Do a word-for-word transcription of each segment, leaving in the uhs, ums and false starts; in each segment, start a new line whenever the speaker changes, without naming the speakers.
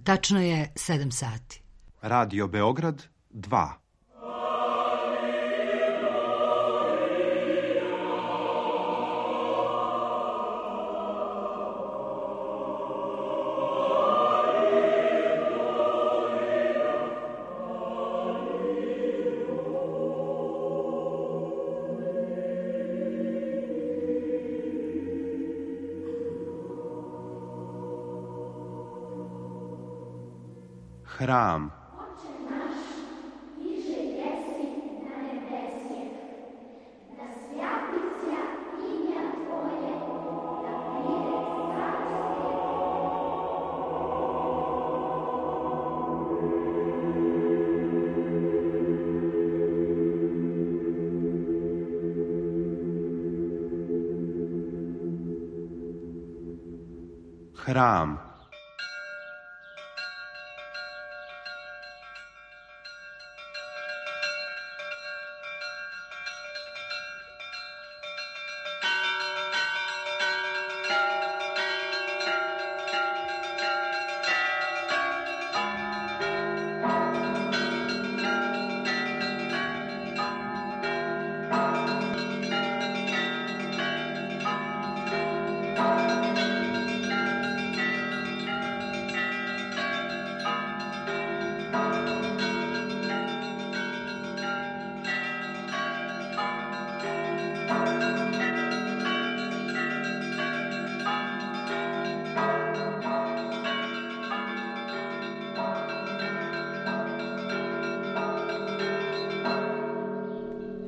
Tačno je sedam sati.
Radio Beograd dva. Hram. Hram.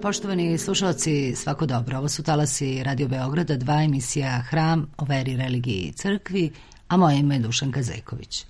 Poštovani slušalci, svako dobro. Ovo su talasi Radio Beograda dva, emisija Hram o veri, religiji i crkvi, a moje ime je Dušanka Zeković.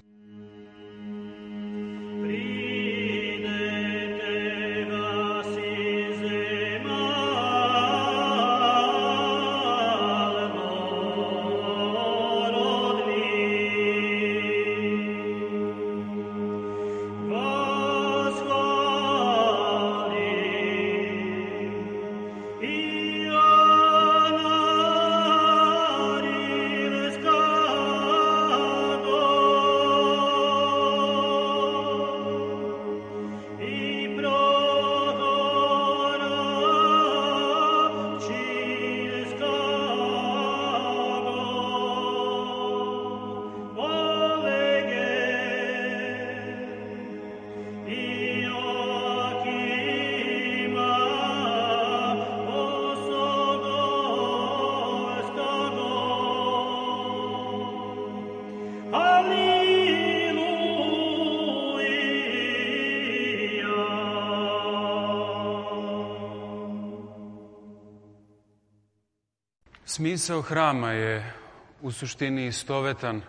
Smisao hrama je u suštini istovetan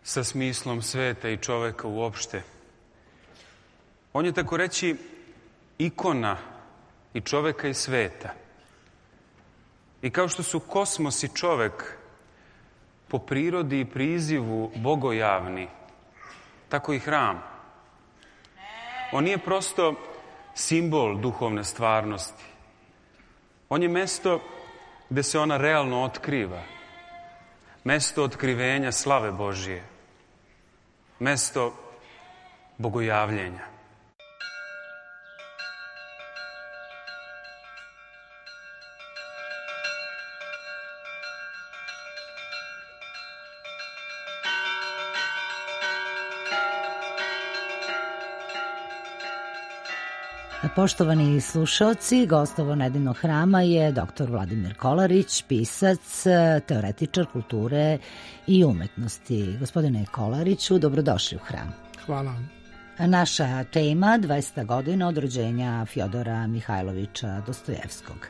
sa smislom sveta i čoveka uopšte. On je, tako reći, ikona i čoveka i sveta. I kao što su kosmos i čovek po prirodi i prizivu bogojavni, tako i hram. On nije prosto simbol duhovne stvarnosti. On je mesto gde se ona realno otkriva. Mesto otkrivenja slave Božije. Mesto bogojavljenja.
Poštovani slušaoci, gost ovo nedeljnog hrama je doktor Vladimir Kolarić, pisac, teoretičar kulture i umetnosti. Gospodine Kolariću, dobrodošli u hram.
Hvala.
Naša tema dvesta godina od rođenja Fjodora Mihajlovića Dostojevskog.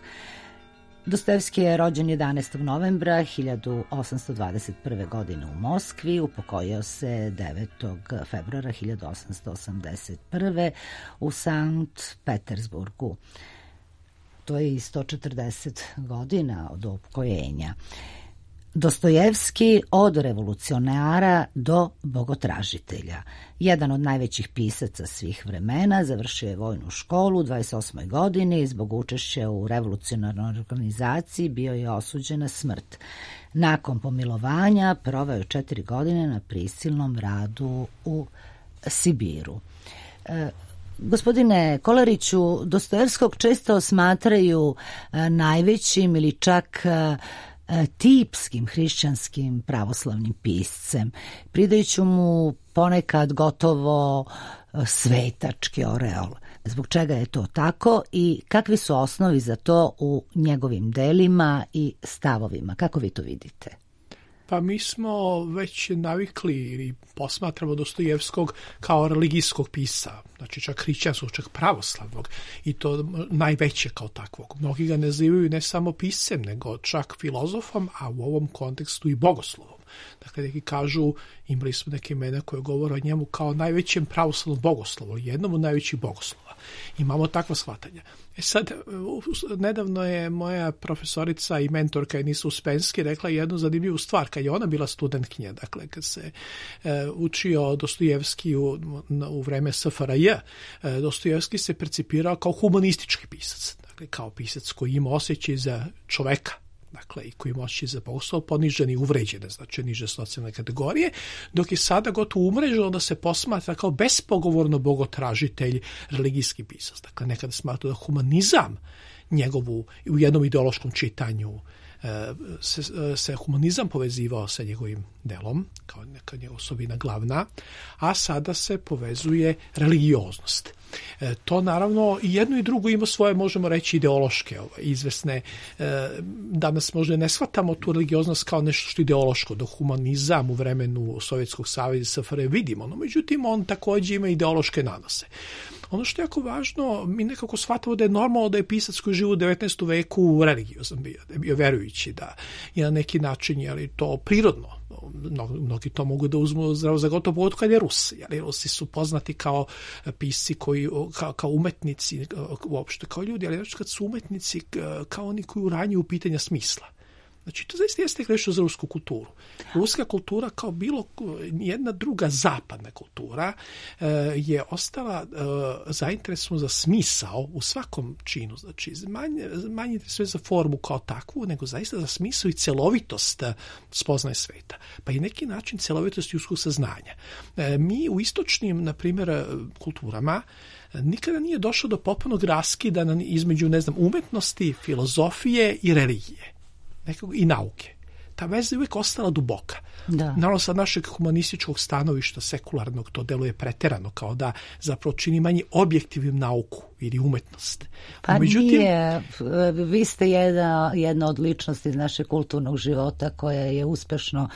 Dostojevski je rođen jedanaestog novembra hiljadu osamsto dvadeset prve. godine u Moskvi, upokojio se devetog februara hiljadu osamsto osamdeset prve. u Sankt Petersburgu. To je i sto četrdeset godina od upokojenja. Dostojevski od revolucionara do bogotražitelja. Jedan od najvećih pisaca svih vremena, završio je vojnu školu u dvadeset osmoj godini i zbog učešća u revolucionarnoj organizaciji bio je osuđen na smrt. Nakon pomilovanja proveo je četiri godine na prisilnom radu u Sibiru. E, Gospodine Kolariću, Dostojevskog često smatraju e, najvećim ili čak e, tipskim hrišćanskim pravoslavnim piscem, pridajući mu ponekad gotovo svetački oreol. Zbog čega je to tako i kakvi su osnovi za to u njegovim delima i stavovima? Kako vi to vidite?
Pa mi smo već navikli ili posmatramo Dostojevskog kao religijskog pisca, znači čak hrišćanskog, čak pravoslavnog, i to najveće kao takvog. Mnogi ga nazivaju ne samo piscem, nego čak filozofom, a u ovom kontekstu i bogoslovom. Dakle, neki kažu, imali smo neke imena koje govore o njemu kao najvećem pravoslavnom bogoslovu, jednom od najvećih bogoslova. Imamo takva shvatanja. E sad, nedavno je moja profesorica i mentorka Enisa Uspenski rekla jednu zanimljivu stvar, kad je ona bila studentkinja, dakle, kad se e, učio Dostojevski u, u vreme S F R J, e, Dostojevski se percipirao kao humanistički pisac, dakle, kao pisac koji ima osjećaj za čoveka, dakle, i koji moći za bogoslov poniženi i uvređene, znači niže socijalne kategorije, dok je sada gotovo umreženo da se posmatra kao bespogovorno bogotražitelj, religijski pisac. Dakle, nekada smatra da humanizam njegovu, u jednom ideološkom čitanju, se, se humanizam povezivao sa njegovim delom, kao neka njegova osobina glavna, a sada se povezuje religioznost. E, to naravno i jedno i drugo ima svoje, možemo reći, ideološke ovaj, izvesne. E, danas možda ne shvatamo tu religioznost kao nešto što je ideološko, da humanizam u vremenu Sovjetskog saveza S F R J vidimo, no međutim on također ima ideološke nanose. Ono što je jako važno, mi nekako shvatamo da je normalno da je pisac koji živi u devetnaestom veku religiozan bio, da je bio verujući, da je na neki način, je li to prirodno. Mnogi, mnogi to mogu da uzmu zdravo za gotovo, pogotovo kad je Rus. Jer Rusi su poznati kao pisci, koji, kao, kao umetnici, uopšte kao ljudi, ali kad su umetnici kao oni koji uranjuju pitanja smisla. Znači, to zaista jeste grešno za rusku kulturu. Ruska kultura, kao bilo jedna druga zapadna kultura, je ostala zainteresovana za smisao u svakom činu. Znači, manje, manje sve za formu kao takvu, nego zaista za smisao i celovitost spoznaje sveta. Pa i neki način celovitost ljudskog saznanja. Mi u istočnim, na primjer, kulturama nikada nije došlo do potpunog raskida između, ne znam, umetnosti, filozofije i religije. Nekog, i nauke. Ta veza je uvijek ostala duboka. Da. Naravno, sa našeg humanističkog stanovišta, sekularnog, to deluje preterano, kao da zapravo čini manje objektivnim nauku ili umetnost.
Pa
međutim,
nije. Vi ste jedna, jedna od ličnosti iz našeg kulturnog života koja je uspešno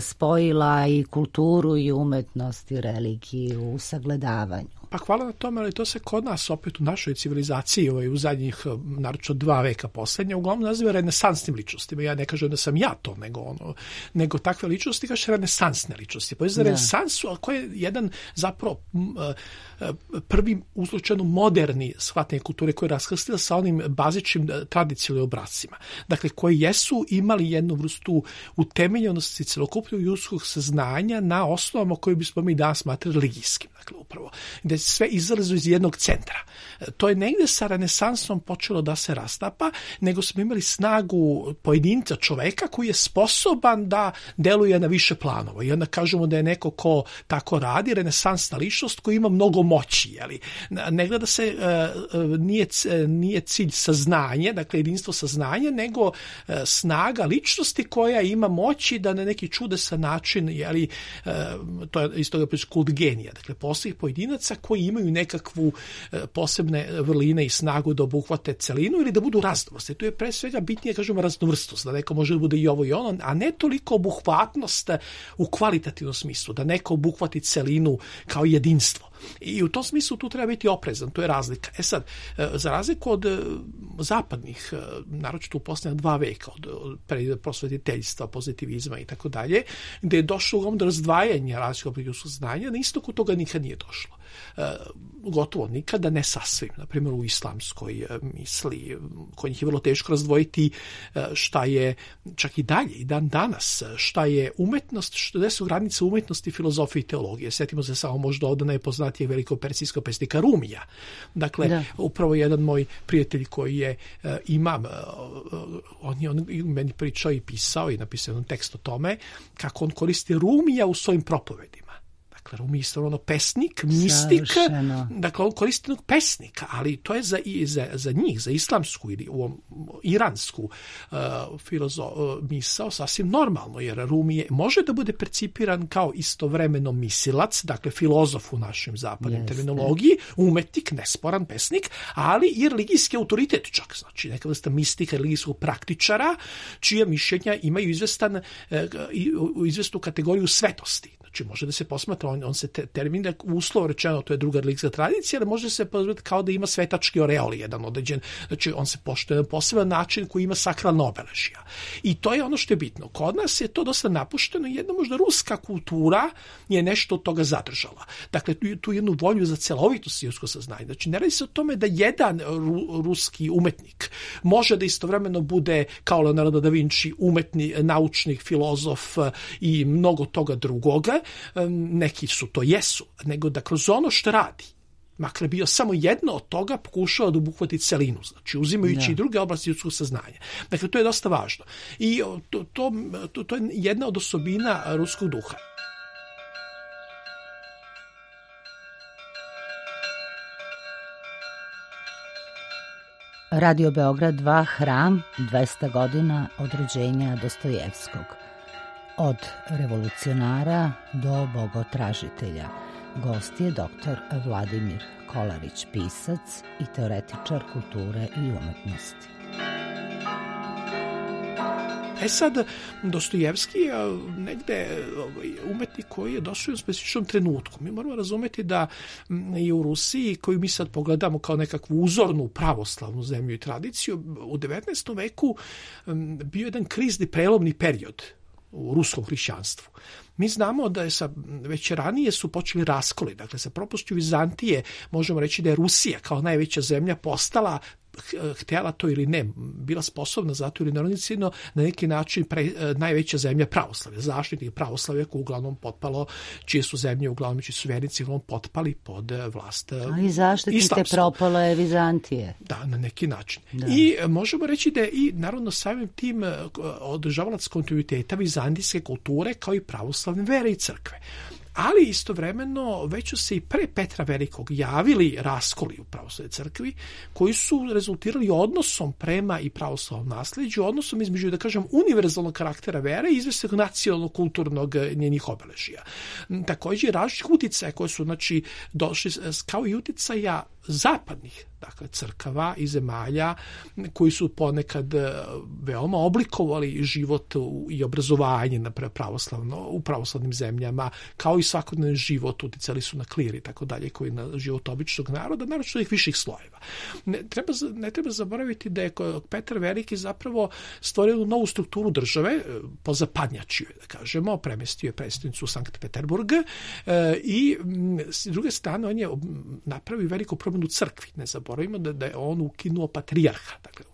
spojila i kulturu i umetnost i religiju u sagledavanju.
Pa hvala na tome, ali to se kod nas opet u našoj civilizaciji ovaj, u zadnjih, naročito dva veka posljednja, uglavnom naziva renesansnim ličnostima. Ja ne kažem da sam ja to, nego, ono, nego takve ličnosti kaže renesansne ličnosti. Pa je za renesansu, ali koji je jedan zapravo prvi uslučajno moderni shvatanje kulture koji je raskrstila sa onim bazičnim tradicionalnim obrascima. Dakle, koji jesu imali jednu vrstu utemeljenosti celokupnog ljudskog saznanja na osnovama koje bismo mi danas smatrali religijskim. Dakle, upravo, gde sve izlazi iz jednog centra. To je negde sa renesansom počelo da se rastapa, nego smo imali snagu pojedinca čoveka koji je sposoban da deluje na više planova. I onda kažemo da je neko ko tako radi, renesansna ličnost koji ima mnogo moći. Jeli? Ne gleda se, nije, nije cilj saznanje, dakle jedinstvo saznanja, nego snaga ličnosti koja ima moći da na neki čudesan način, jeli, to je iz toga kult genija. Dakle, postoji pojedinaca koji imaju nekakvu posebne vrline i snagu da obuhvate celinu ili da budu raznovrsni. To je pre svega bitnije, kažemo, raznovrstnost, da neko može da bude i ovo i ono, a ne toliko obuhvatnost u kvalitativnom smislu, da neko obuhvati celinu kao jedinstvo. I u tom smislu tu treba biti oprezan, to je razlika. E sad, za razliku od zapadnih, naročito u posljednja dva veka, od, od prosvetiteljstva, pozitivizma i tako dalje, gde je došlo do razdvajanja različitog ljudskog znanja, na istoku toga nikad nije došlo. gotovo nikada, ne sasvim. Na primjer, u islamskoj misli, kod njih je vrlo teško razdvojiti šta je, čak i dalje, i dan danas, šta je umetnost, gde su granice umetnosti, filozofije i teologije. Sjetimo se samo možda od najpoznatijeg velikog persijskog pesnika Rumija. Dakle, da. Upravo jedan moj prijatelj koji je imam, on je on meni pričao i pisao i napisao jedan tekst o tome kako on koristi Rumija u svojim propovedima. Dakle, Rumi je isto ono pesnik, mistik, savršeno. Dakle, on koristi jednog pesnika, ali to je za, za, za njih, za islamsku ili u, iransku uh, filozo, uh, misao sasvim normalno, jer Rumi je, može da bude percipiran kao istovremeno misilac, dakle, filozof u našem zapadnim terminologiji, umetnik, nesporan pesnik, ali i religijski autoritet čak, znači neka vrsta mistika, religijskog praktičara, čija mišljenja imaju izvestan, uh, izvestnu kategoriju svetosti. Znači, može da se posmatra, on, on se te, termin, uslovo rečeno, to je druga religijska tradicija, ali može se posmatrati kao da ima svetački oreol, jedan određen, znači on se poštuje na poseban način koji ima sakralna obeležja. I to je ono što je bitno. Kod nas je to dosta napušteno i jedna možda ruska kultura je nešto od toga zadržala. Dakle, tu, tu jednu volju za celovitost ljudskog saznanja. Znači, ne radi se o tome da jedan ru, ruski umetnik može da istovremeno bude kao Leonardo da Vinci umetni, naučnik, filozof i mnogo toga drugoga. Neki su to jesu, nego da kroz ono što radi, makar bio samo jedno od toga, pokušava da obuhvati celinu, znači uzimajući ja. i druge oblasti ljudskog saznanja. Dakle, to je dosta važno. I to, to, to, to je jedna od osobina ruskog duha.
Radio Beograd dva, Hram, dvesta godina od rođenja Dostojevskog. Od revolucionara do bogotražitelja. Gost je doktor Vladimir Kolarić, pisac i teoretičar kulture i umetnosti.
E sad, Dostojevski je negde umetnik koji je došao u specifičnom trenutku. Mi moramo razumeti da i u Rusiji, koju mi sad pogledamo kao nekakvu uzornu pravoslavnu zemlju i tradiciju, u devetnaestom veku bio jedan krizni prelomni period u ruskom hrišćanstvu. Mi znamo da je sa, već ranije su počeli raskoli, dakle sa propušću Vizantije možemo reći da je Rusija kao najveća zemlja postala, htjela to ili ne, bila sposobna zato ili nerodnicino na neki način pre, najveća zemlja pravoslavlja, zaštitnik pravoslavlja koji uglavnom potpalo, čije su zemlje uglavnom, čiji su vernici uglavnom potpali pod vlast islamsku.
A i zaštitnike propalo je Vizantije.
Da, na neki način. Da. I možemo reći da je i naravno samim tim održavalac kontinuiteta vizantijske kulture kao i pravoslavne vere i crkve. Ali istovremeno već su se i pre Petra Velikog javili raskoli u pravoslavnoj crkvi koji su rezultirali odnosom prema i pravoslavnom nasleđu, odnosom između, da kažem, univerzalnog karaktera vere i izvesnog nacionalno-kulturnog njenih obeležja. Također različitih uticaja koje su, znači, došli kao i uticaja zapadnih, dakle, crkava i zemalja koji su ponekad veoma oblikovali život i obrazovanje na pravoslavno, u pravoslavnim zemljama, kao i svakodnevni život, uticali su na klir i tako dalje, koji na život običnog naroda, naročito ih viših slojeva. Ne treba, ne treba zaboraviti da je Petar Veliki zapravo stvorio novu strukturu države, pozapadnjačio je, da kažemo, premestio je predstavnicu u Sankt Peterburg i s druge strane on je napravio veliku promjenu u crkvi. Ne zaboravimo da, da je on ukinuo patrijarha. Dakle,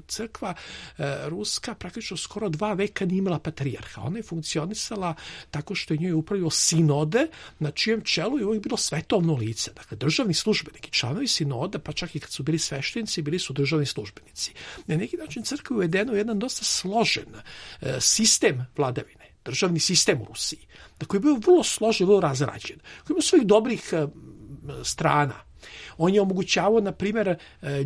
crkva e, ruska praktično skoro dva veka nije imala patrijarha. Ona je funkcionisala tako što je njoj upravljao sinode, na čijem čelu je uvijek bilo svetovno lice. Dakle, državni službenik i članovi sinoda, pa čak i kad su bili sveštenici, bili su državni službenici. Na neki način crkva je uvedena u jedan dosta složen e, sistem vladavine, državni sistem u Rusiji, da koji je bio vrlo složen, vrlo razrađen, koji ima svojih dobrih e, strana. On je omogućavao, na primjer,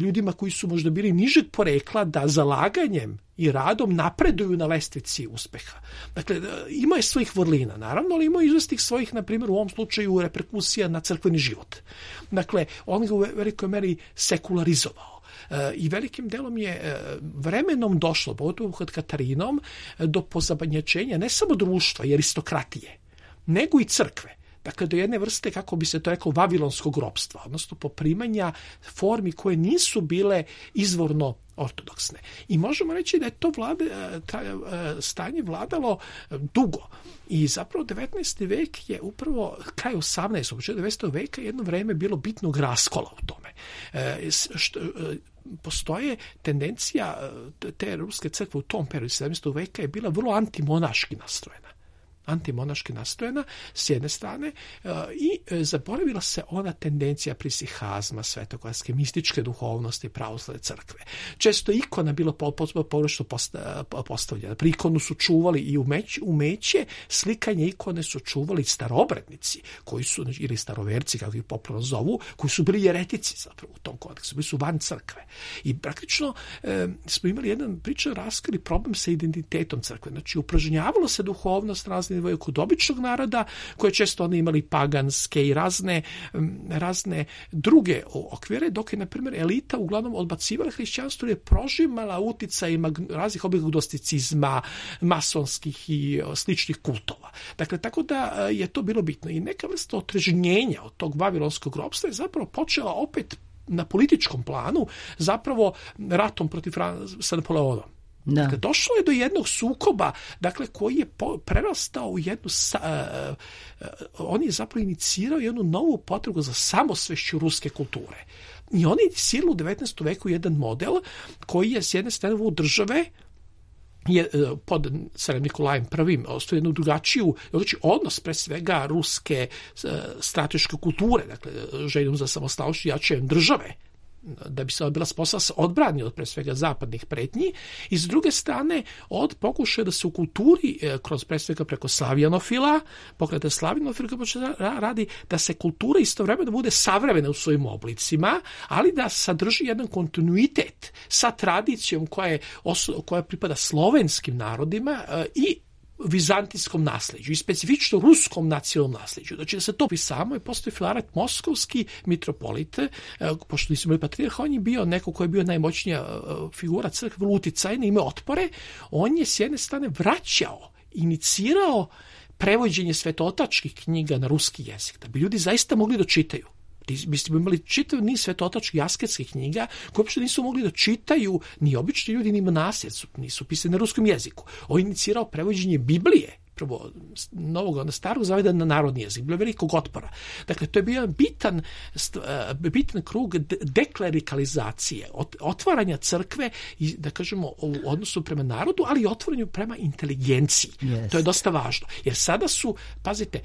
ljudima koji su možda bili nižeg porekla da zalaganjem i radom napreduju na lestvici uspeha. Dakle, ima je svojih vrlina, naravno, ali ima izvestih svojih, na primjer, u ovom slučaju reperkusija na crkveni život. Dakle, on ga u velikoj meri sekularizovao. I velikim delom je vremenom došlo, pogotovo kod Katarinom, do pozabanjačenja ne samo društva i aristokratije, nego i crkve. dakle do jedne vrste, kako bi se to rekao, vavilonskog ropstva, odnosno poprimanja formi koje nisu bile izvorno ortodoksne. I možemo reći da je to vlade, ta, stanje vladalo dugo. I zapravo devetnaesti vek je upravo kraj osamnaestog. početak devetnaestog veka jedno vreme bilo bitnog raskola u tome. Što, postoje tendencija te ruske crkve u tom periodu sedamnaestog veka je bila vrlo antimonaški nastrojena. antimonaški nastrojena s jedne strane i zaboravila se ona tendencija prisihazma, svetogorske, mističke duhovnosti pravoslavne crkve. Često ikona bilo pogrešno postavljena. Pri ikonu su čuvali i umeće, umeće slikanje ikone su čuvali starobrednici, koji su, ili staroverci, kako ih popularno zovu, koji su bili jeretici zapravo u tom kontekstu, bili su van crkve. I praktično e, smo imali jedan pričan raskri problem sa identitetom crkve. Znači, upražnjavalo se duhovnost razne kod običnog naroda, koje često oni imali paganske i razne, razne druge okvire, dok je, na primjer, elita uglavnom odbacivala hrišćanstvo jer je prožimala uticajima raznih oblika gnosticizma, masonskih i sličnih kultova. Dakle, tako da je to bilo bitno. I neka vrsta otrežnjenja od tog vavilonskog ropstva je zapravo počela opet na političkom planu, zapravo ratom protiv Fran- sa Napoleonom. Da. Dakle, došlo je do jednog sukoba, dakle, koji je po, prerastao u jednu, uh, uh, on je zapravo inicirao jednu novu potrebu za samosvešću ruske kulture. I on je inicirao u devetnaestom veku jedan model koji je s jedne strane u države je pod carem Nikolajem prvim ostavio jednu drugačiju, znači odnos pre svega ruske uh, strateške kulture, dakle, željom za samostalnošću jačajem države, da bi se bila sposobna se odbrani od pre svega zapadnih pretnji, i s druge strane od pokušaja da se u kulturi kroz pre svega preko slavijanofila, pokreta slavijanofila radi da se kultura istovremeno bude savremena u svojim oblicima, ali da sadrži jedan kontinuitet sa tradicijom koja je koja pripada slovenskim narodima i vizantijskom nasljeđu i specifično ruskom nacionalnom nasljeđu. Znači da se to pisamo i postoji Filaret Moskovski, mitropolit, pošto nisu imali patrijarha, on je bio neko ko je bio najmoćnija figura crkve, uticajne, ime otpore, on je s jedne strane vraćao, inicirao prevođenje svetotačkih knjiga na ruski jezik, da bi ljudi zaista mogli da čitaju. Mi smo imali čitav niz svetotačkih asketskih knjiga koje uopšte nisu mogli da čitaju ni obični ljudi, ni monasi, nisu pisane na ruskom jeziku. On je inicirao prevođenje Biblije, prvo novog, onda starog zaveda na narodni jezik, bilo velikog otpora. Dakle, to je bio bitan, bitan krug deklerikalizacije, otvaranja crkve i, da kažemo, u odnosu prema narodu, ali i otvaranju prema inteligenciji. Yes. To je dosta važno. Jer sada su, pazite,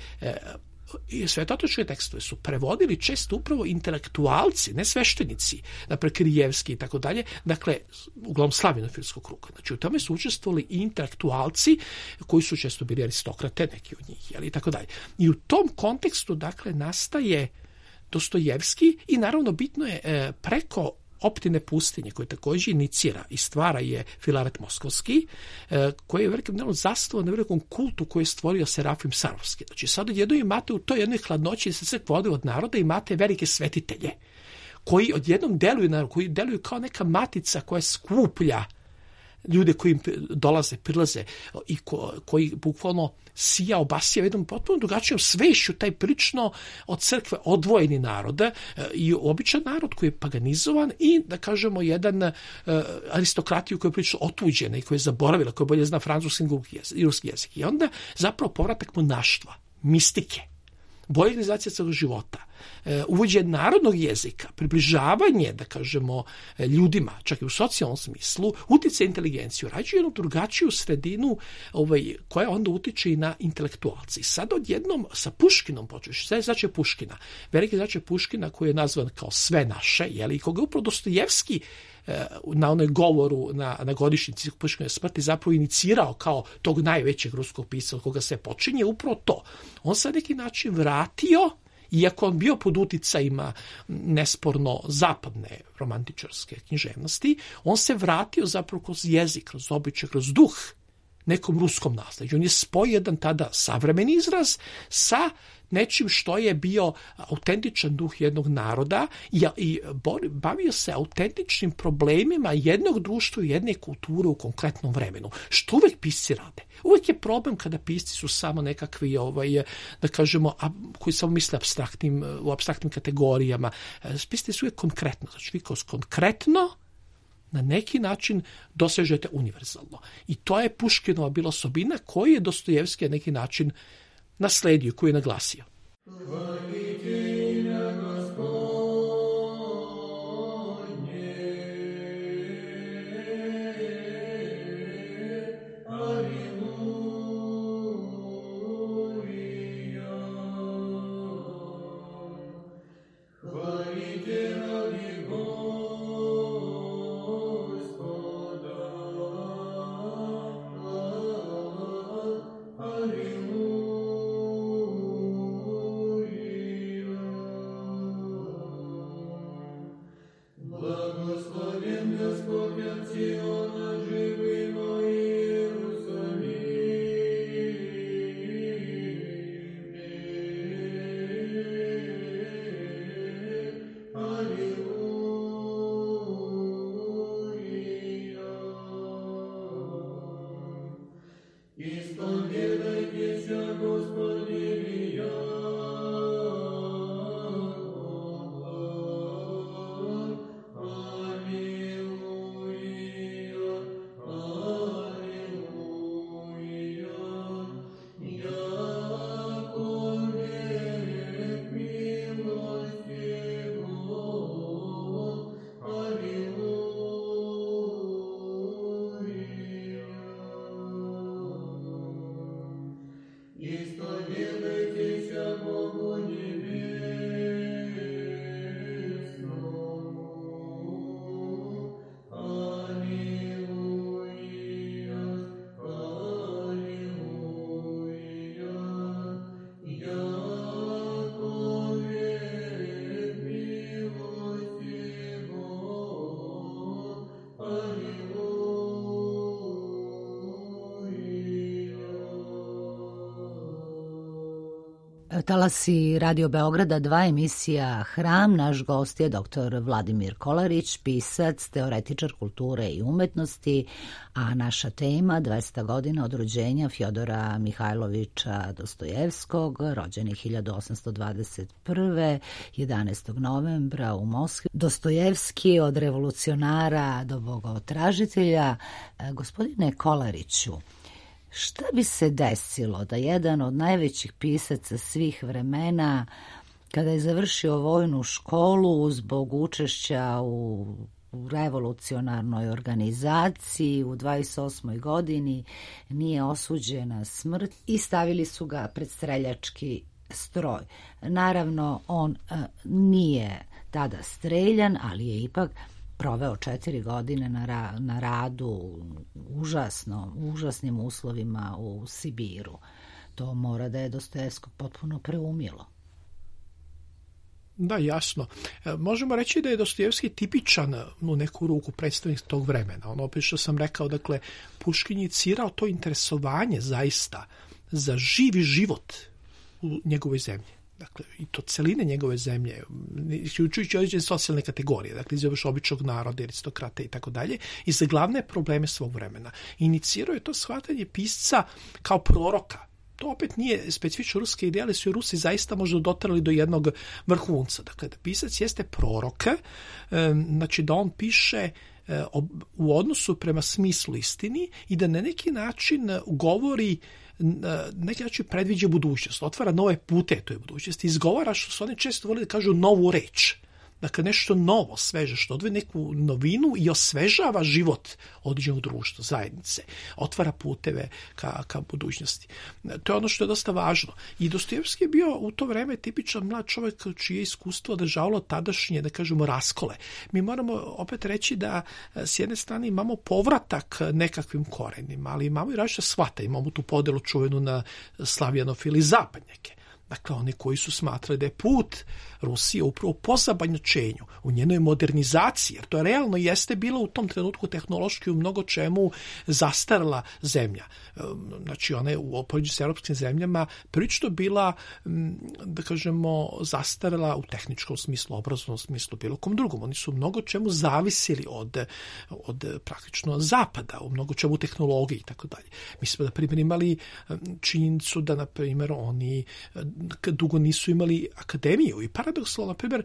i svetotočke tekstove su prevodili često upravo intelektualci, ne sveštenici, naprijed Kirijevski i tako dalje, dakle, uglavnom slavinofilskog kruga. Znači, u tome su učestvovali i intelektualci koji su često bili aristokrate, neki od njih, jel, i tako dalje. I u tom kontekstu, dakle, nastaje Dostojevski i naravno bitno je e, preko Optine pustinje, koje također inicira i stvara je Filaret Moskovski, eh, koji je velikim delom zastavo na velikom kultu koji je stvorio Serafim Sarovski. Znači, sad odjednom imate u toj jednoj hladnoći se sve vode od naroda, imate velike svetitelje, koji odjednom deluju, koji deluju kao neka matica koja skuplja ljude koji im dolaze, prilaze i ko, koji bukvalno sija, obasija jednom potpuno drugačijom svešću taj prilično od crkve odvojeni narod i običan narod koji je paganizovan i, da kažemo, jedan uh, aristokratiju koja je prilično otuđena i koja je zaboravila, koja bolje zna francuski i ruski jezik. I onda zapravo povratak monaštva, mistike, bolja organizacija celog života, uvođenje narodnog jezika, približavanje, da kažemo, ljudima, čak i u socijalnom smislu, utiče inteligenciju, rađuje jednu drugačiju sredinu ovaj, koja onda utiče i na intelektualci. Sad odjednom sa Puškinom počeš, sve znači Puškina, veliki znači Puškina koji je nazvan kao sve naše, jeli, i koga upravo Dostojevski na onoj govoru na, na godišnjici Puškinove smrti zapravo inicirao kao tog najvećeg ruskog pisca od koga se počinje upravo to. On se na neki način vratio, iako on bio pod uticajima nesporno zapadne romantičarske književnosti, on se vratio zapravo kroz jezik, kroz običaj, kroz duh nekom ruskom nasleđu. On je spoj jedan tada savremeni izraz sa nečim što je bio autentičan duh jednog naroda i, i bavio se autentičnim problemima jednog društva i jedne kulture u konkretnom vremenu. Što uvek pisci rade. Uvek je problem kada pisci su samo nekakvi, ovaj, da kažemo, a, koji samo misle abstraktnim, u abstraktnim kategorijama. Pisci su uvek konkretno. Znači, vi kroz konkretno na neki način dosežete univerzalno. I to je Puškinova bila osobina koju je Dostojevski na neki način nasledio, koji je naglasio.
Talasi Radio Beograda dva, emisija Hram. Naš gost je doktor Vladimir Kolarić, pisac, teoretičar kulture i umetnosti, a naša tema dvesta godina od rođenja Fjodora Mihajlovića Dostojevskog, rođeni hiljadu osamsto dvadeset prve. jedanaestog novembra u Moskvi. Dostojevski od revolucionara do bogotražitelja. Gospodine Kolariću, šta bi se desilo da jedan od najvećih pisaca svih vremena, kada je završio vojnu školu zbog učešća u revolucionarnoj organizaciji u dvadeset osmoj godini, nije osuđen na smrt i stavili su ga pred streljački stroj. Naravno, on a, nije tada streljan, ali je ipak proveo četiri godine na, ra, na radu užasno, užasnim uslovima u Sibiru. To mora da je Dostojevskog potpuno preumilo.
Da, jasno. E, možemo reći da je Dostojevski tipičan u neku ruku predstavnik tog vremena. Ono opet što sam rekao, dakle, Puškin je inicirao to interesovanje zaista za živi život u njegovoj zemlji. Dakle, i to celine njegove zemlje, uključujući određene socijalne kategorije, dakle, iz običnog naroda, aristokrate i tako dalje, i za glavne probleme svog vremena. Inicirao je to shvatanje pisca kao proroka. To opet nije specifično ruske ideje, ali su i Rusi zaista možda dotarali do jednog vrhunca. Dakle, da pisac jeste prorok, znači da on piše u odnosu prema smislu istini i da na neki način govori, neki način predviđa budućnost, otvara nove pute toj budućnosti, izgovara, što su oni često volili da kažu, novu reč. Dakle, nešto novo, sveže, što odve neku novinu i osvežava život određenog društva, zajednice. Otvara puteve ka, ka budućnosti. To je ono što je dosta važno. I Dostojevski je bio u to vreme tipičan mlad čovjek čije iskustvo održavalo tadašnje, da kažemo, raskole. Mi moramo opet reći da s jedne strane imamo povratak nekakvim korenima, ali imamo i različite shvata. Imamo tu podelu čuvenu na slavjanofili i zapadnjake. Dakle, oni koji su smatrali da je put Rusije upravo pozabanjačenju, u njenoj modernizaciji, jer to realno jeste bilo u tom trenutku tehnološki u mnogo čemu zastarala zemlja. Znači, ona je u poređenju s europskim zemljama prilično bila, da kažemo, zastarala u tehničkom smislu, obrazovnom smislu, bilo kom drugom. Oni su u mnogo čemu zavisili od, od praktično zapada, u mnogo čemu tehnologiji i tako dalje. Mi smo, na primjer, imali činjenicu da, na primjer, oni dugo nisu imali akademiju i paradoksalno, na primjer,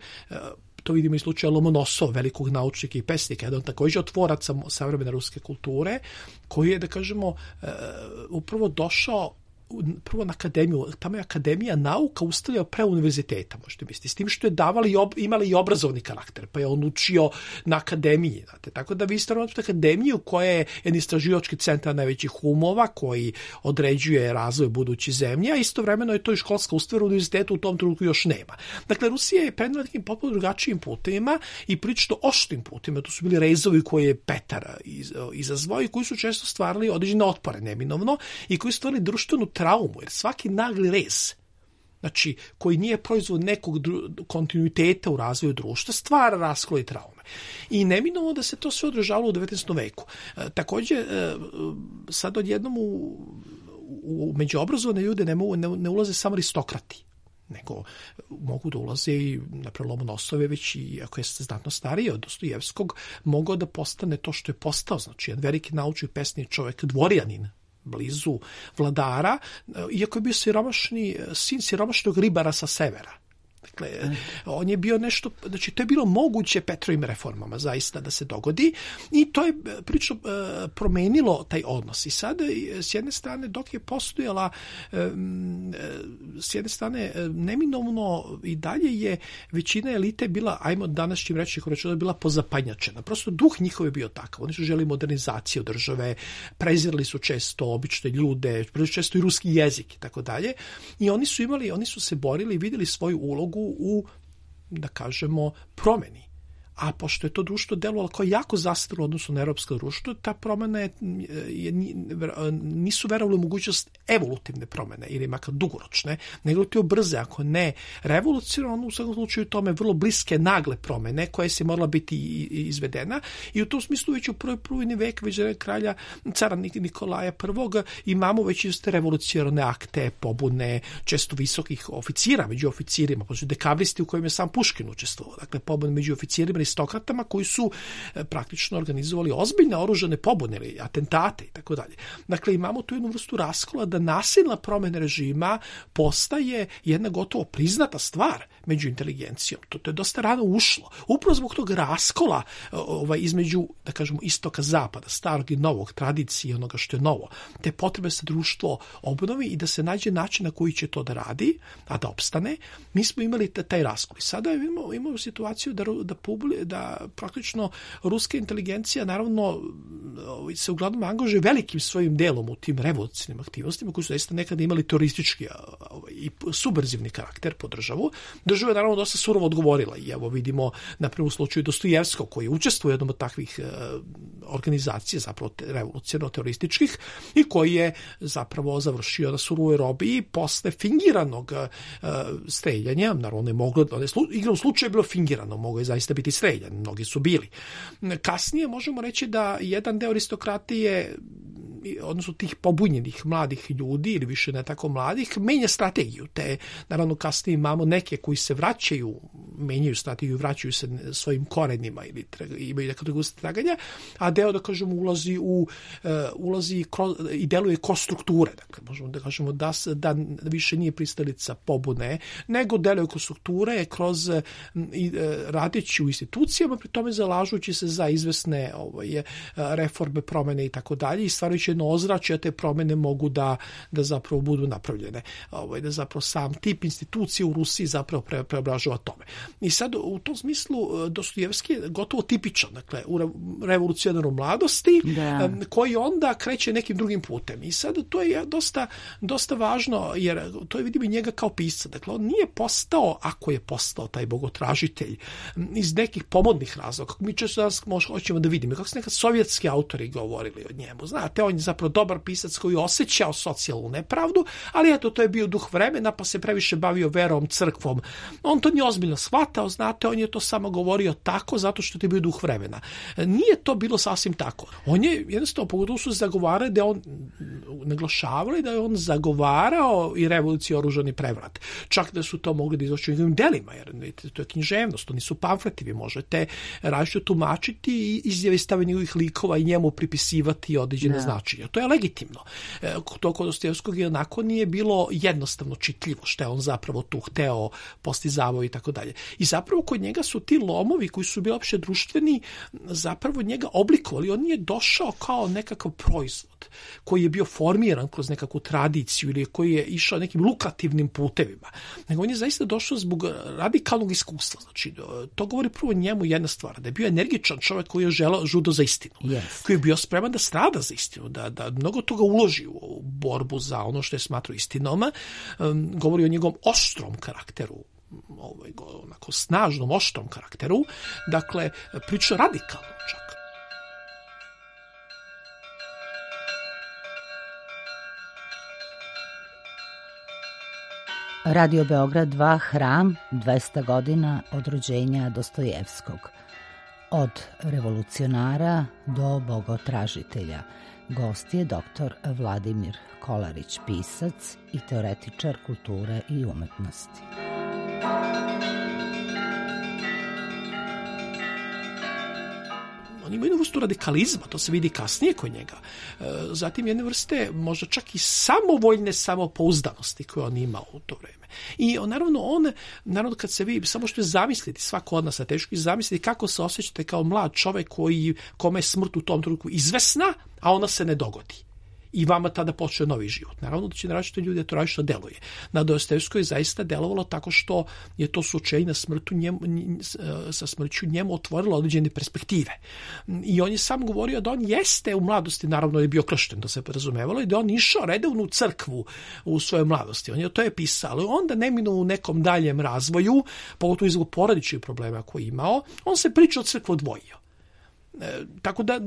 to vidimo i slučaju Lomonosova, velikog naučnika i pesnika, jedan također otvoraca savremene ruske kulture, koji je, da kažemo, upravo došao prvo na akademiju, tamo je akademija nauka ustavljao pre univerziteta, možete misliti, s tim što je davali, imali i obrazovni karakter, pa je on učio na akademiji, znate, tako da vi ste na akademiju koja je jedan istraživački centar najvećih umova, koji određuje razvoj buduće zemlje, a istovremeno je to i školska ustanova, univerziteta u tom trenutku još nema. Dakle, Rusija je krenula nekim potpuno drugačijim putima i prilično oštrim putima, to su bili rezovi koje je Petar izazvao i koji su često stvarali određene otpore, neminovno, i koji su stvarali društvenu traumu, jer svaki nagli rez, znači, koji nije proizvod nekog dru- kontinuiteta u razvoju društva, stvara raskole i traume. I neminovno da se to sve održavalo u devetnaestom veku. E, također, e, sad odjednom u, u međuobrazovane ljude ne, mogu, ne, ne ulaze samo aristokrati, nego mogu da ulaze i, naprimjer, Lomonosove, već i ako je znatno stariji od Dostojevskog, mogao da postane to što je postao, znači, jedan veliki naučni pesni čovjek, dvorjanin, blizu vladara, iako je bio siromašni, sin siromašnog ribara sa severa. Dakle, on je bio nešto, znači to je bilo moguće Petrovim reformama zaista da se dogodi i to je prilično e, promenilo taj odnos. I sada s jedne strane dok je postojala e, s jedne strane neminovno i dalje je većina elite bila, ajmo današnjim rečnikom reći, bila pozapanjačena. Prosto duh njihov je bio takav. Oni su želi modernizaciju države, prezirali su često obične ljude, često i ruski jezik i tako dalje. I oni su imali, oni su se borili i vidjeli svoju ulogu u, da kažemo, promeni. A pošto je to društvo delovalo kao jako zastarilo u odnosu na europsko društvo, ta promena je, je, nisu verovali u mogućnost evolutivne promene ili makar dugoročne, nego to brze, ako ne revolucionarno, u svakom slučaju tome vrlo bliske nagle promene koje se morala biti izvedena i u tom smislu već u prvoj prvojni vek, već kralja cara Nikolaja prvog imamo već iste revolucionarne akte, pobune, često visokih oficira među oficirima, pa su dekabristi u kojima je sam Puškin učestvovao, dakle pobune među oficirima aristokratama koji su e, praktično organizovali ozbiljne oružane pobune ili atentate i tako dalje. Dakle, imamo tu jednu vrstu raskola da nasilna promjena režima postaje jedna gotovo priznata stvar među inteligencijom. To, to je dosta rano ušlo. Upravo zbog tog raskola ovaj, između, da kažemo, istoka zapada, starog i novog, tradicije onoga što je novo, te potrebe se društvo obnovi i da se nađe način na koji će to da radi, a da opstane, mi smo imali taj raskol. I sada imamo, imamo situaciju da, da publi da praktično ruska inteligencija naravno se uglavnom angažuje velikim svojim delom u tim revolucionarnim aktivnostima koji su zaista nekada imali teroristički i subverzivni karakter po državu. Država je naravno dosta surovo odgovorila i evo vidimo na primjer u slučaju Dostojevskog koji učestvuje u jednom od takvih organizacija zapravo revolucionarno-terorističkih i koji je zapravo završio na surovoj robiji posle fingiranog streljanja. Naravno je moglo, igrom slučaju je bilo fingirano, moglo je zaista biti streljan, mnogi su bili. Kasnije možemo reći da jedan deo aristokratije, odnosno tih pobunjenih mladih ljudi ili više ne tako mladih, menja strategiju, te naravno kasnije imamo neke koji se vraćaju, menjaju strategiju, vraćaju se svojim korenima ili imaju neka druga traganja, a deo, da kažemo, ulazi u uh, ulazi kroz, i deluje kroz strukture, dakle možemo da kažemo da, da više nije pristalica pobune, nego deluje kroz strukture, kroz uh, i, uh, radeći u institucijama, pri tome zalažući se za izvesne ovaj, reforme, promene i tako dalje i stvarajući jedno ozračje, te promene mogu da, da zapravo budu napravljene. Ovaj, da zapravo sam tip institucije u Rusiji zapravo pre, preobražava tome. I sad u tom smislu Dostojevski je gotovo tipičan, dakle, u revolucionarnoj mladosti, da. Koji onda kreće nekim drugim putem. I sad to je dosta, dosta važno, jer to je vidimo i njega kao pisca. Dakle, on nije postao, ako je postao taj bogotražitelj, iz nekih pomodnih razloga. Mi često danas hoćemo da vidimo, kako su nekad sovjetski autori govorili o njemu. Znate, on je zapravo dobar pisac koji je osjećao socijalnu nepravdu, ali eto, to je bio duh vremena, pa se previše bavio verom, crkvom. On to nije ozbiljno shvatao, znate, on je to samo govorio tako zato što je bio duh vremena. Nije to bilo sasvim tako. On je jednostavno, pogotovo su zagovarali da on naglašavali da je on zagovarao i revoluciju, oružani prevrat. Čak da su to mogli da izvući u njegovim delima, jer to je književnost, to nisu pamfleti, vi možete različito tumačiti i izjave stave njegovih likova i njemu pripisivati određene yeah. značenja. To je legitimno. To kod Dostojevskog je onako nije bilo jednostavno čitljivo što je on zapravo tu hteo, postizavao i tako dalje. I zapravo kod njega su ti lomovi koji su bili opšte društveni zapravo njega oblikovali. On nije došao kao nekakav proizvod koji je bio formiran kroz nekakvu tradiciju ili koji je išao nekim lukrativnim putevima. Nego on je zaista došao zbog radikalnog iskustva. Znači, to govori prvo njemu jedna stvar, da je bio energičan čovjek koji je želeo žudo za istinu. Yes. Koji je bio spreman da strada za istinu, da, da mnogo toga uloži u borbu za ono što je smatrao istinom. Um, govori o njegovom oštrom karakteru, ovaj, onako snažnom, oštrom karakteru. Dakle, priča radikalno čak.
Radio Beograd dva, Hram, dvesta godina od rođenja Dostojevskog. Od revolucionara do bogotražitelja. Gost je doktor Vladimir Kolarić, pisac i teoretičar kulture i umetnosti.
On ima jednu vrstu radikalizma, to se vidi kasnije kod njega. Zatim jedne vrste možda čak i samovoljne samopouzdanosti koje on imao u to vreme. I on, naravno, on, naravno kad se vi, samo što je zamisliti, svako od nas je teško zamisliti kako se osjećate kao mlad čovjek koji, kome je smrt u tom trenutku izvesna, a ona se ne dogodi. I vama tada počne novi život. Naravno da će na različite ljude to različito deluje. Na Dostojevskoj je zaista delovalo tako što je to suočenje na smrtu njemu, sa smrću njemu otvorilo određene perspektive. I on je sam govorio da on jeste u mladosti, naravno je bio kršten, to se razumevalo, i da on išao redovno u crkvu u svojoj mladosti. On je to je pisao, ali onda neminuo u nekom daljem razvoju, pogotovo iz porodičnih problema koje je imao, on se priča od crkve odvojio. E, tako da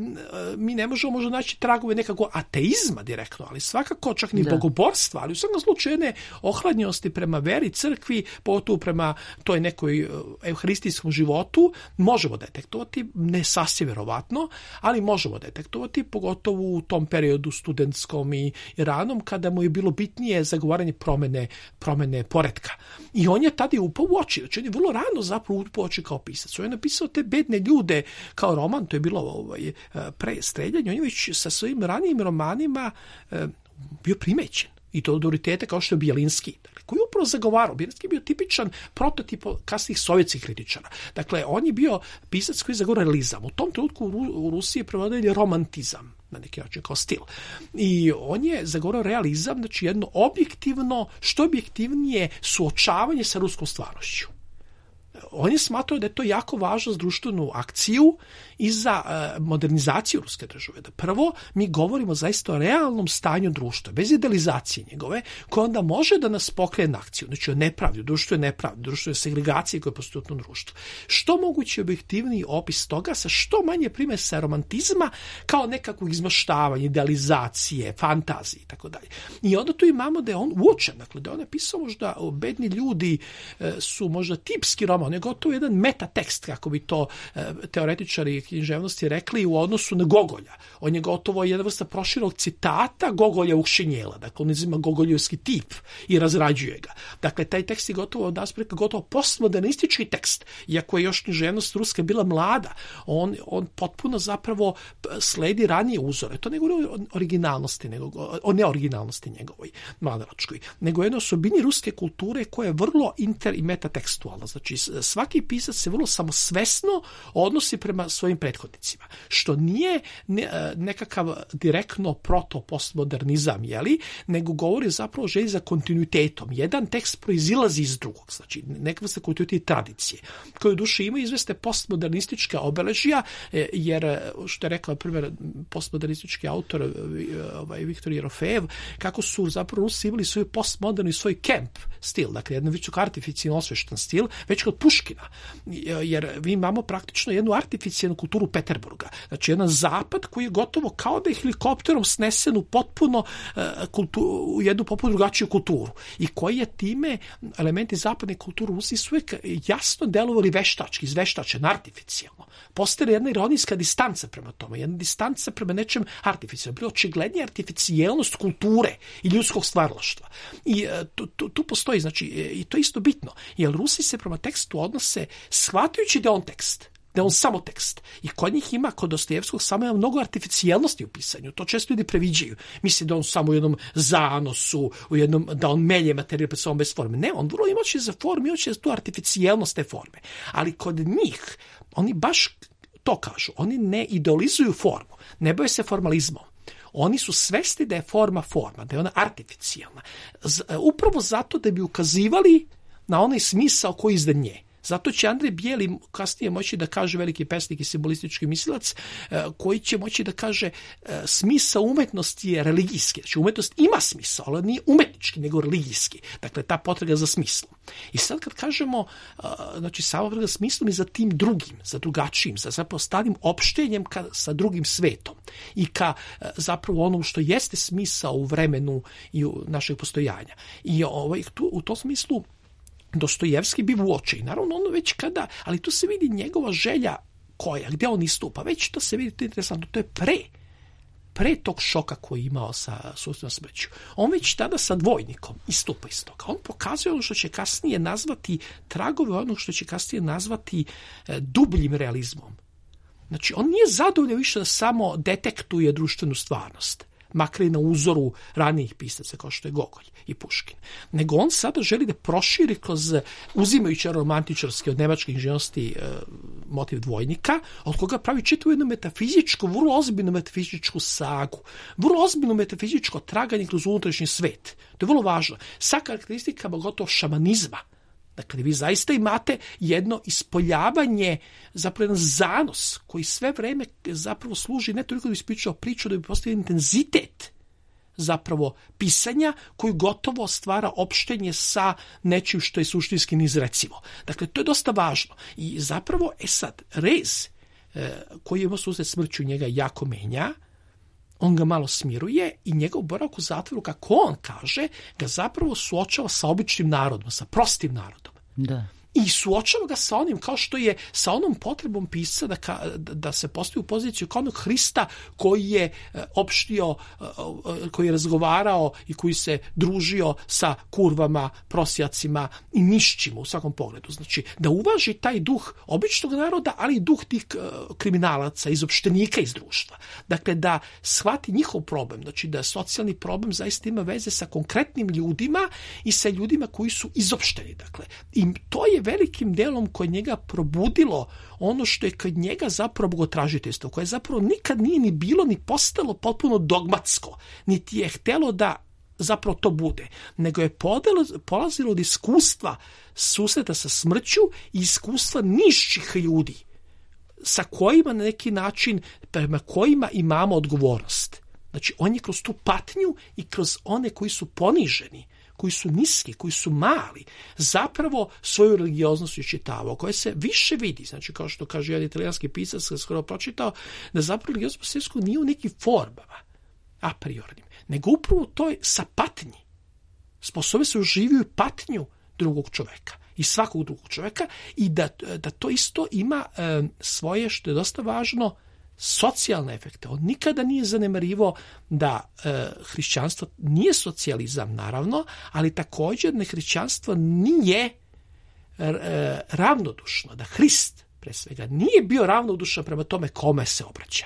mi ne možemo možda naći tragove nekako ateizma direktno, ali svakako čak ni da. bogoborstva, ali u svakom slučaju jedne ohladnjosti prema veri, crkvi, pogotovo prema toj nekoj evharistijskom životu, možemo detektovati, ne sasvim verovatno, ali možemo detektovati, pogotovo u tom periodu studentskom i ranom, kada mu je bilo bitnije zagovaranje promene, promene poretka. I on je tada upao u oči, znači on je vrlo rano zapravo upao u oči kao pisac. On je napisao te bedne ljude kao roman, to je bilo ovaj, pre streljanja, on je već sa svojim ranijim romanima e, bio primećen. I to od autoriteta kao što je Bjelinski, dakle, koji je upravo zagovarao. Bjelinski je bio tipičan prototip kasnih sovjetskih kritičara. Dakle, on je bio pisac koji je zagovarao realizam. U tom trenutku u Rusiji je prevodili romantizam, na neki način kao stil. I on je zagovarao realizam, znači jedno objektivno, što objektivnije suočavanje sa ruskom stvarnošću. On je smatrao da je to jako važno za društvenu akciju i za uh, modernizaciju ruske države. Da prvo mi govorimo zaista o realnom stanju društva, bez idealizacije njegove, koja onda može da nas pokrene na akciju. Znači o nepravdi, društvo je nepravdi, društvo je segregacije koje postoji u tom društvu. Što moguće objektivniji opis toga sa što manje primesa romantizma kao nekakvog izmaštavanja, idealizacije, fantazije i tako dalje. I onda tu imamo da je on uočen, dakle da on je pisao možda o bedni ljudi e, su možda tipski roman, on je gotovo jedan metatekst, kako bi to e, teoretičari književnosti rekli u odnosu na Gogolja. On je gotovo jedna vrsta proširog citata Gogolja Ukšenjela, dakle on izima gogoljevski tip i razrađuje ga. Dakle, taj tekst je gotovo od aspekta gotovo postmodernistički tekst, iako je još književnost ruska bila mlada, on, on potpuno zapravo sledi ranije uzore. To ne govori o originalnosti, nego, o neoriginalnosti njegovoj, mladalačkoj, nego jedno osobini ruske kulture koja je vrlo inter i metatekstualna. Znači, svaki pisac se vrlo samosvesno odnosi prema svojim prethodnicima, što nije nekakav direktno proto-postmodernizam, jeli, nego govori zapravo o želji za kontinuitetom. Jedan tekst proizilazi iz drugog, znači neka vrsta kontinuiteta tradicije, koje u duši ima izveste postmodernistička obeležja, jer, što je rekao, primjer, postmodernistički autor ovaj, Viktor Jerofejev, kako su zapravo Rusi imali svoj postmoderni, svoj camp stil, dakle, jedan visoko artificijalno osveštan stil, već kod Puškina, jer mi imamo praktično jednu artificijalnu kulturu Peterburga, znači jedan zapad koji je gotovo kao da je helikopterom snesen u potpuno kultu, u jednu potpuno drugačiju kulturu i koji je time elementi zapadne kulture u Rusiji su uvijek jasno delovali veštački, izveštačen, artificijalno. Postoji jedna ironijska distanca prema tome, jedna distanca prema nečem artificijalno, bilo očiglednija artificijalnost kulture i ljudskog stvaralaštva. I tu, tu, tu postoji, znači, i to je isto bitno, jer Rusi se prema tekstu odnose shvatajući da je on tekst, da je on samo tekst. I kod njih ima, kod Dostojevskog, samo ima mnogo artificijalnosti u pisanju. To često ljudi previđaju. Misli da on samo u jednom zanosu, u jednom, da on melje materijal pred sobom bez forme. Ne, on vrlo ima oči za formu, ima oči za tu artificijalnost te forme. Ali kod njih, oni baš to kažu. Oni ne idealizuju formu, ne bave se formalizmom. Oni su svesni da je forma forma, da je ona artificijalna. Z, upravo zato da bi ukazivali na onaj smisao koji je iznad nje. Zato će Andrej Bijeli kasnije moći da kaže, veliki pesnik i simbolistički mislilac, koji će moći da kaže smisao umetnosti je religijski. Znači umetnost ima smisao, ali nije umetnički, nego religijski. Dakle, ta potraga za smislom. I sad kad kažemo, znači sama potraga za smislom i za tim drugim, za drugačijim, za zapravo stalnim opštenjem ka, sa drugim svetom i ka zapravo onom što jeste smisao u vremenu i u našeg postojanja. I ovaj, tu, u tom smislu Dostojevski bi uoči. Naravno, ono već kada, ali tu se vidi njegova želja koja, gdje on istupa, već to se vidi, to je interesantno, to je pre, pre tog šoka koji je imao sa sustavnom smrću. On već tada sa dvojnikom istupa iz toga. On pokazuje ono što će kasnije nazvati tragove, ono što će kasnije nazvati e, dubljim realizmom. Znači, on nije zadovoljan više da samo detektuje društvenu stvarnost, makar i na uzoru ranijih pisaca kao što je Gogolj i Puškin. Nego on sada želi da proširi kroz, uzimajući romantičarski od nemačke inženjernosti e, motiv dvojnika, od koga pravi čitavu jednu metafizičku, vrlo ozbiljnu metafizičku sagu, vrlo ozbiljno metafizičko traganje kroz unutrašnji svet. To je vrlo važno. Sa karakteristikama gotovo šamanizma. Dakle, vi zaista imate jedno ispoljavanje, zapravo jedan zanos koji sve vreme zapravo služi ne toliko da bi ispričao priču, da bi postavio intenzitet zapravo pisanja koji gotovo stvara opštenje sa nečim što je suštinski neizrecivo. Dakle, to je dosta važno. I zapravo, e sad, rez e, koji je imao susret smrću njega jako menja, on ga malo smiruje i njegov boravak u zatvoru, kako on kaže, ga zapravo suočava sa običnim narodom, sa prostim narodom.
Da.
I suočava ga sa onim, kao što je sa onom potrebom pisca da, ka, da se postavi u poziciju kao onog Hrista koji je opštio, koji je razgovarao i koji se družio sa kurvama, prosjacima i nišćima u svakom pogledu. Znači, da uvaži taj duh običnog naroda, ali i duh tih kriminalaca, izopštenika iz društva. Dakle, da shvati njihov problem, znači da socijalni problem zaista ima veze sa konkretnim ljudima i sa ljudima koji su izopšteni. Dakle, i to je velikim delom kod njega probudilo ono što je kod njega zapravo bogotražiteljstvo, koje zapravo nikad nije ni bilo ni postalo potpuno dogmatsko, niti je htelo da zapravo to bude, nego je podelo, polazilo od iskustva susreta sa smrću i iskustva nižših ljudi, sa kojima na neki način, prema kojima imamo odgovornost. Znači, on je kroz tu patnju i kroz one koji su poniženi, koji su niski, koji su mali, zapravo svoju religioznost iščitavao, koja se više vidi. Znači, kao što kaže jedan italijanski pisac, koji je skoro pročitao, da zapravo religioznost Dostojevskog nije u nekim formama, a priornim, nego upravo to je sa patnji. Sposobe se uživaju patnju drugog čoveka i svakog drugog čoveka i da, da to isto ima e, svoje, što je dosta važno, socijalne efekte. On nikada nije zanemarivo da e, hrišćanstvo nije socijalizam, naravno, ali također ne hrišćanstvo nije e, ravnodušno, da Hrist pre svega nije bio ravnodušan prema tome kome se obraća.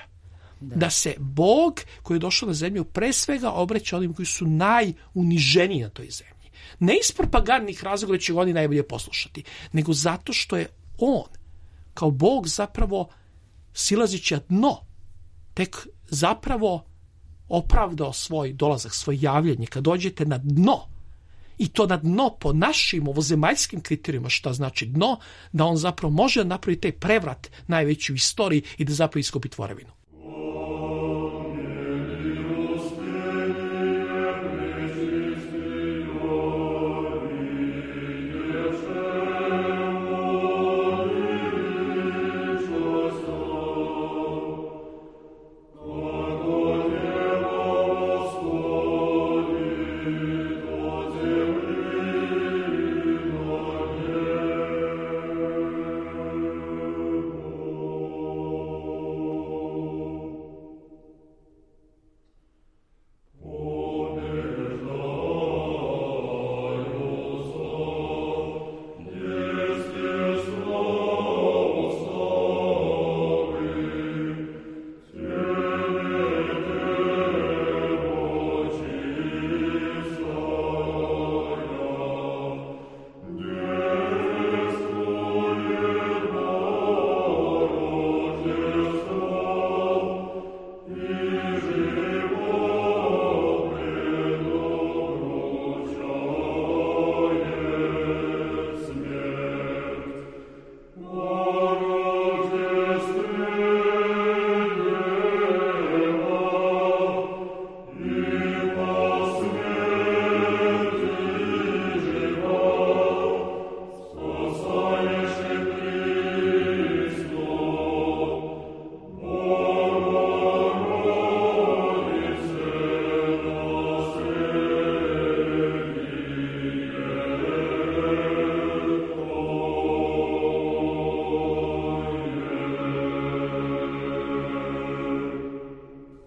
Da. da se Bog koji je došao na zemlju pre svega obraća onim koji su najuniženiji na toj zemlji. Ne iz propagandnih razloga će oni najbolje poslušati, nego zato što je on kao Bog zapravo silazići na dno, tek zapravo opravdao svoj dolazak, svoje javljanje. Kad dođete na dno, i to na dno po našim ovozemaljskim kriterijima, šta znači dno, da on zapravo može napraviti taj prevrat najveći u istoriji i da zapravo iskopi tvorevinu.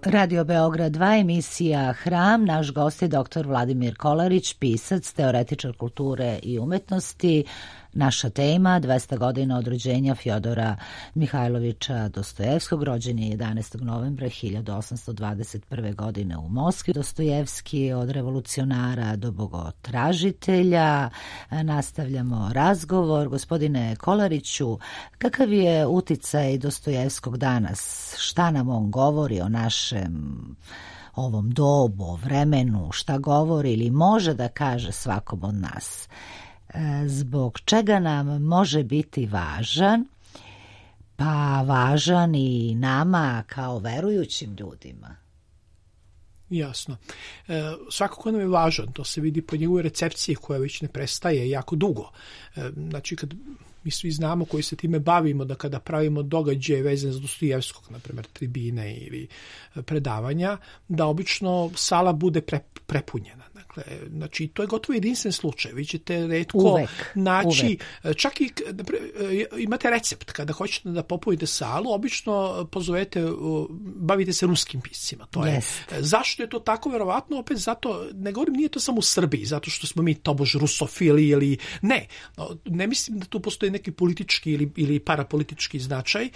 Radio Beograd dva, emisija Hram. Naš gost je doktor Vladimir Kolarić, pisac, teoretičar kulture i umetnosti. Naša tema, dvesta godina od rođenja Fjodora Mihajlovića Dostojevskog, rođen je jedanaestog novembra hiljadu osamsto dvadeset prve. godine u Moskvi. Dostojevski od revolucionara do bogotražitelja. Nastavljamo razgovor. Gospodine Kolariću, kakav je uticaj Dostojevskog danas? Šta nam on govori o našem ovom dobu, o vremenu? Šta govori ili može da kaže svakom od nas? Zbog čega nam može biti važan, pa važan i nama kao verujućim ljudima?
Jasno. E, svakako nam je važan, to se vidi po njegovoj recepciji koja već ne prestaje jako dugo. E, znači, kad mi svi znamo koji se time bavimo, da kada pravimo događaje vezane za Dostojevskog, na primjer tribine ili predavanja, da obično sala bude pre, prepunjena. Dakle, znači, to je gotovo jedinstven slučaj. Vi ćete retko
uvek,
naći,
uvek.
Čak i imate recept, kada hoćete da popunite salu, obično pozovete, bavite se ruskim piscima. To je.
Yes.
Zašto je to tako? Verovatno, opet zato, ne govorim, nije to samo u Srbiji, zato što smo mi tobož rusofili ili ne. Ne mislim da tu postoji neki politički ili, ili parapolitički značaj, e,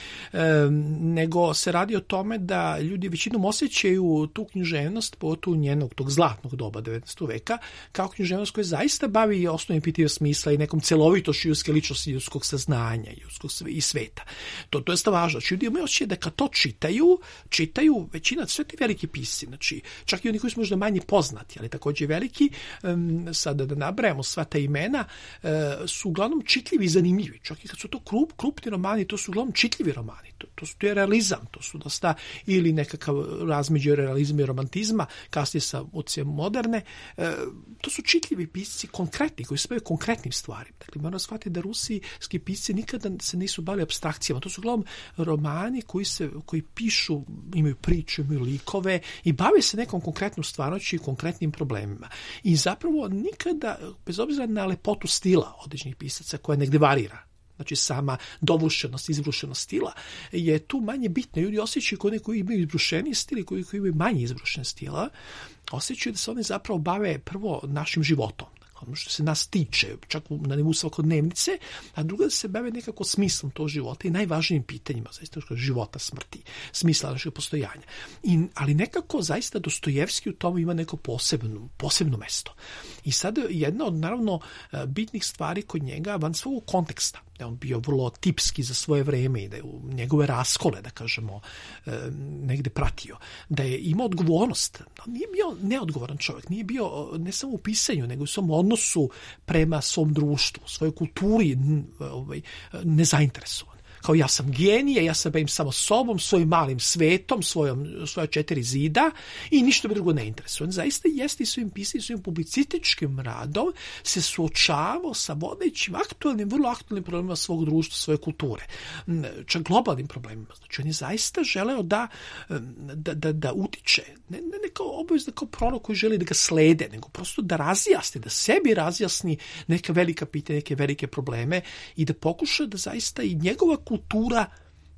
nego se radi o tome da ljudi većinom osjećaju tu književnost, pogotovo njenog tog zlatnog doba devetnaestog veka, kao književnost koja zaista bavi osnovnim pitanjem smisla i nekom celovitošću ljudske ličnosti, ljudskog saznanja ljudskog i sveta. To, to je sta važno. Znači, ljudi imaju osjećaj da kad to čitaju, čitaju većina, sve ti veliki pisci, znači, čak i oni koji su možda manje poznati, ali također veliki, um, sada da nabrajamo sva ta imena, uh, su uglavnom čitljivi i zanimljivi. Čak i kad su to krup, krupni romani, to su uglavnom čitljivi romani. To, to, su, to je realizam, to su dosta ili nekakav razmeđu realizma i romantizma, kasnije sa utjecajem moderne. E, to su čitljivi pisci, konkretni, koji se bave konkretnim stvarima. Dakle, moramo shvatiti da rusijski pisci nikada se nisu bavili apstrakcijama. To su uglavnom romani koji, se, koji pišu, imaju priče, imaju likove i bave se nekom konkretnom stvarnošću i konkretnim problemima. I zapravo nikada, bez obzira na lepotu stila određenih pisaca koja negde varira, znači sama dovršenost, izbrušenost stila, je tu manje bitna. Ljudi osjećaju koji koji imaju izbrušeni stil i koji, koji imaju manje izbrušen stila, osjećaju da se oni zapravo bave prvo našim životom, ono što se nas tiče, čak na nivou svakodnevnice, a druga da se bave nekako smislom tog života i najvažnijim pitanjima, zaista života, smrti, smisla našeg postojanja. I, ali nekako zaista Dostojevski u tome ima neko posebno, posebno mesto. I sad jedna od naravno bitnih stvari kod njega van svog konteksta, da je on bio vrlo tipski za svoje vreme i da je u njegove raskole, da kažemo, negde pratio, da je imao odgovornost. On nije bio neodgovoran čovjek, nije bio ne samo u pisanju, nego u svom odnosu prema svom društvu, svojoj kulturi ovaj, nezainteresovan. Kao ja sam genije, ja se bavim samo sobom, svojim malim svetom, svojom, svoja četiri zida i ništa me drugo ne interesuje. On zaista jeste i svojim pisanjem, svojim publicističkim radom se suočavao sa vodećim aktualnim, vrlo aktualnim problemima svog društva, svoje kulture. Čak globalnim problemima. Znači on je zaista želeo da, da, da, da utiče, ne, ne, ne kao obavezno kao prorok koji želi da ga slede, nego prosto da razjasni, da sebi razjasni neka velika pitanja, neke velike probleme i da pokuša da zaista i njegova kultura,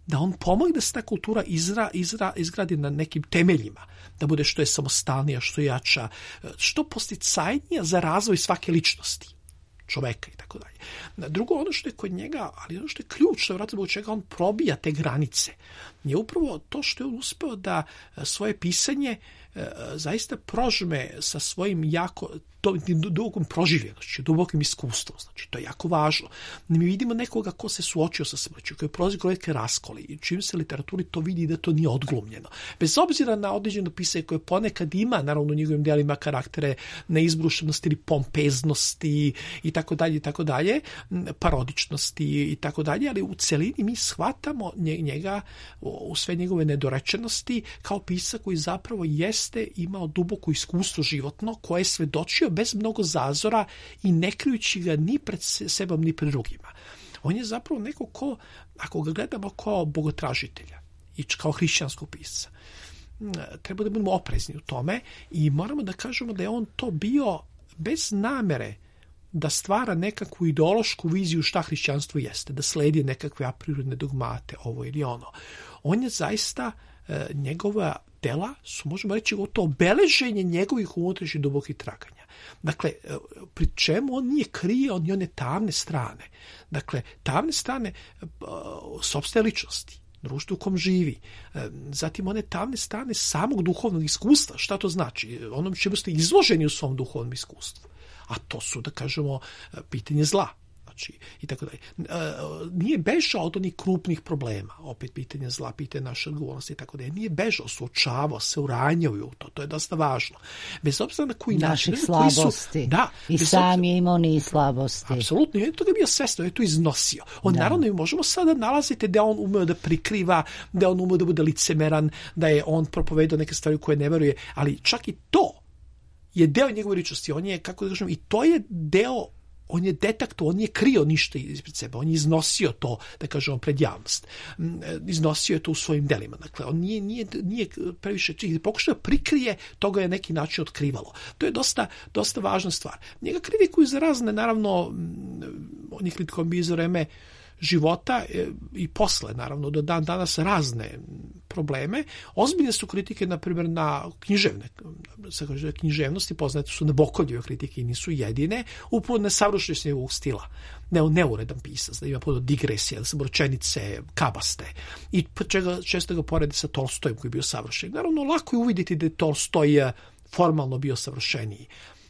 da on pomogne da se ta kultura izra, izra, izgradi na nekim temeljima, da bude što je samostalnija, što jača, što posticajnija za razvoj svake ličnosti, čoveka i tako dalje. Drugo, ono što je kod njega, ali ono što je ključno, vjerojatno zbog čega on probija te granice, je upravo to što je on uspeo da svoje pisanje zaista prožme sa svojim jako dubokom proživljenošću, dubokim iskustvom. Znači, to je jako važno. Mi vidimo nekoga ko se suočio sa smrću, koji je prolazio kroz neke raskole i čim se literaturi to vidi da to nije odglumljeno. Bez obzira na određeno pisanje koje ponekad ima, naravno u njegovim delima karaktere neizbrušenosti ili pompeznosti i tako dalje i tako dalje, parodičnosti i tako dalje, ali u celini mi shvatamo njega u sve njegove nedorečenosti kao pisac koji zapravo jeste imao duboko iskustvo životno koje je svedočio bez mnogo zazora i ne krijući ga ni pred sebom ni pred drugima. On je zapravo neko ko, ako ga gledamo kao bogotražitelja i kao hrišćanskog pisca, treba da budemo oprezni u tome i moramo da kažemo da je on to bio bez namere da stvara nekakvu ideološku viziju šta hrišćanstvo jeste, da sledi nekakve apriorne dogmate, ovo ili ono. On je zaista e, njegova dela su, možemo reći, to obeleženje njegovih unutrašnjih dubokih traganja. Dakle, pri čemu on nije krio ni one tamne strane. Dakle, tamne strane sopstvene ličnosti, društvu u kom živi. Zatim one tamne strane samog duhovnog iskustva. Šta to znači? Onom čemu ste izloženi u svom duhovnom iskustvu. A to su, da kažemo, pitanje zla. I tako dalje. Nije bežao od onih krupnih problema, opet pitanje zla, pitanje naše odgovornosti i tako dalje. Nije bežao, suočavao se, uranjao u to, to je dosta važno. Bez obzira na koji način.
Naših slabosti.
Su, da,
I sam je imao ni slabosti.
Apsolutno, on je toga bio svestan, on je to iznosio. On da. Naravno, možemo sada nalaziti da on umeo da prikriva, da on umeo da bude licemeran, da je on propovedao neke stvari koje ne veruje, ali čak i to je deo njegove ličnosti. On je, kako da kažem, i to je deo, on je detekto, on nije krio ništa ispred sebe, on je iznosio to, da kažemo, pred javnost. Iznosio je to u svojim delima. Dakle, on nije, nije, nije previše čih, pokušao da prikrije, toga je neki način otkrivalo. To je dosta, dosta važna stvar. Njega kritikuju za razne, naravno, on je kritikovan bio za vreme života i posle, naravno, do dan danas razne probleme. Ozbiljne su kritike, na primjer, na književne, književnosti, poznate su Nabokovljeve kritike i nisu jedine, upravo nesavršenost njegovog stila. Ne, neuredan pisac, da ima puno digresija, da su rečenice kabaste i čega, često ga porede sa Tolstojem koji je bio savršen. Naravno, lako je uvidjeti da je Tolstoj formalno bio savršeniji,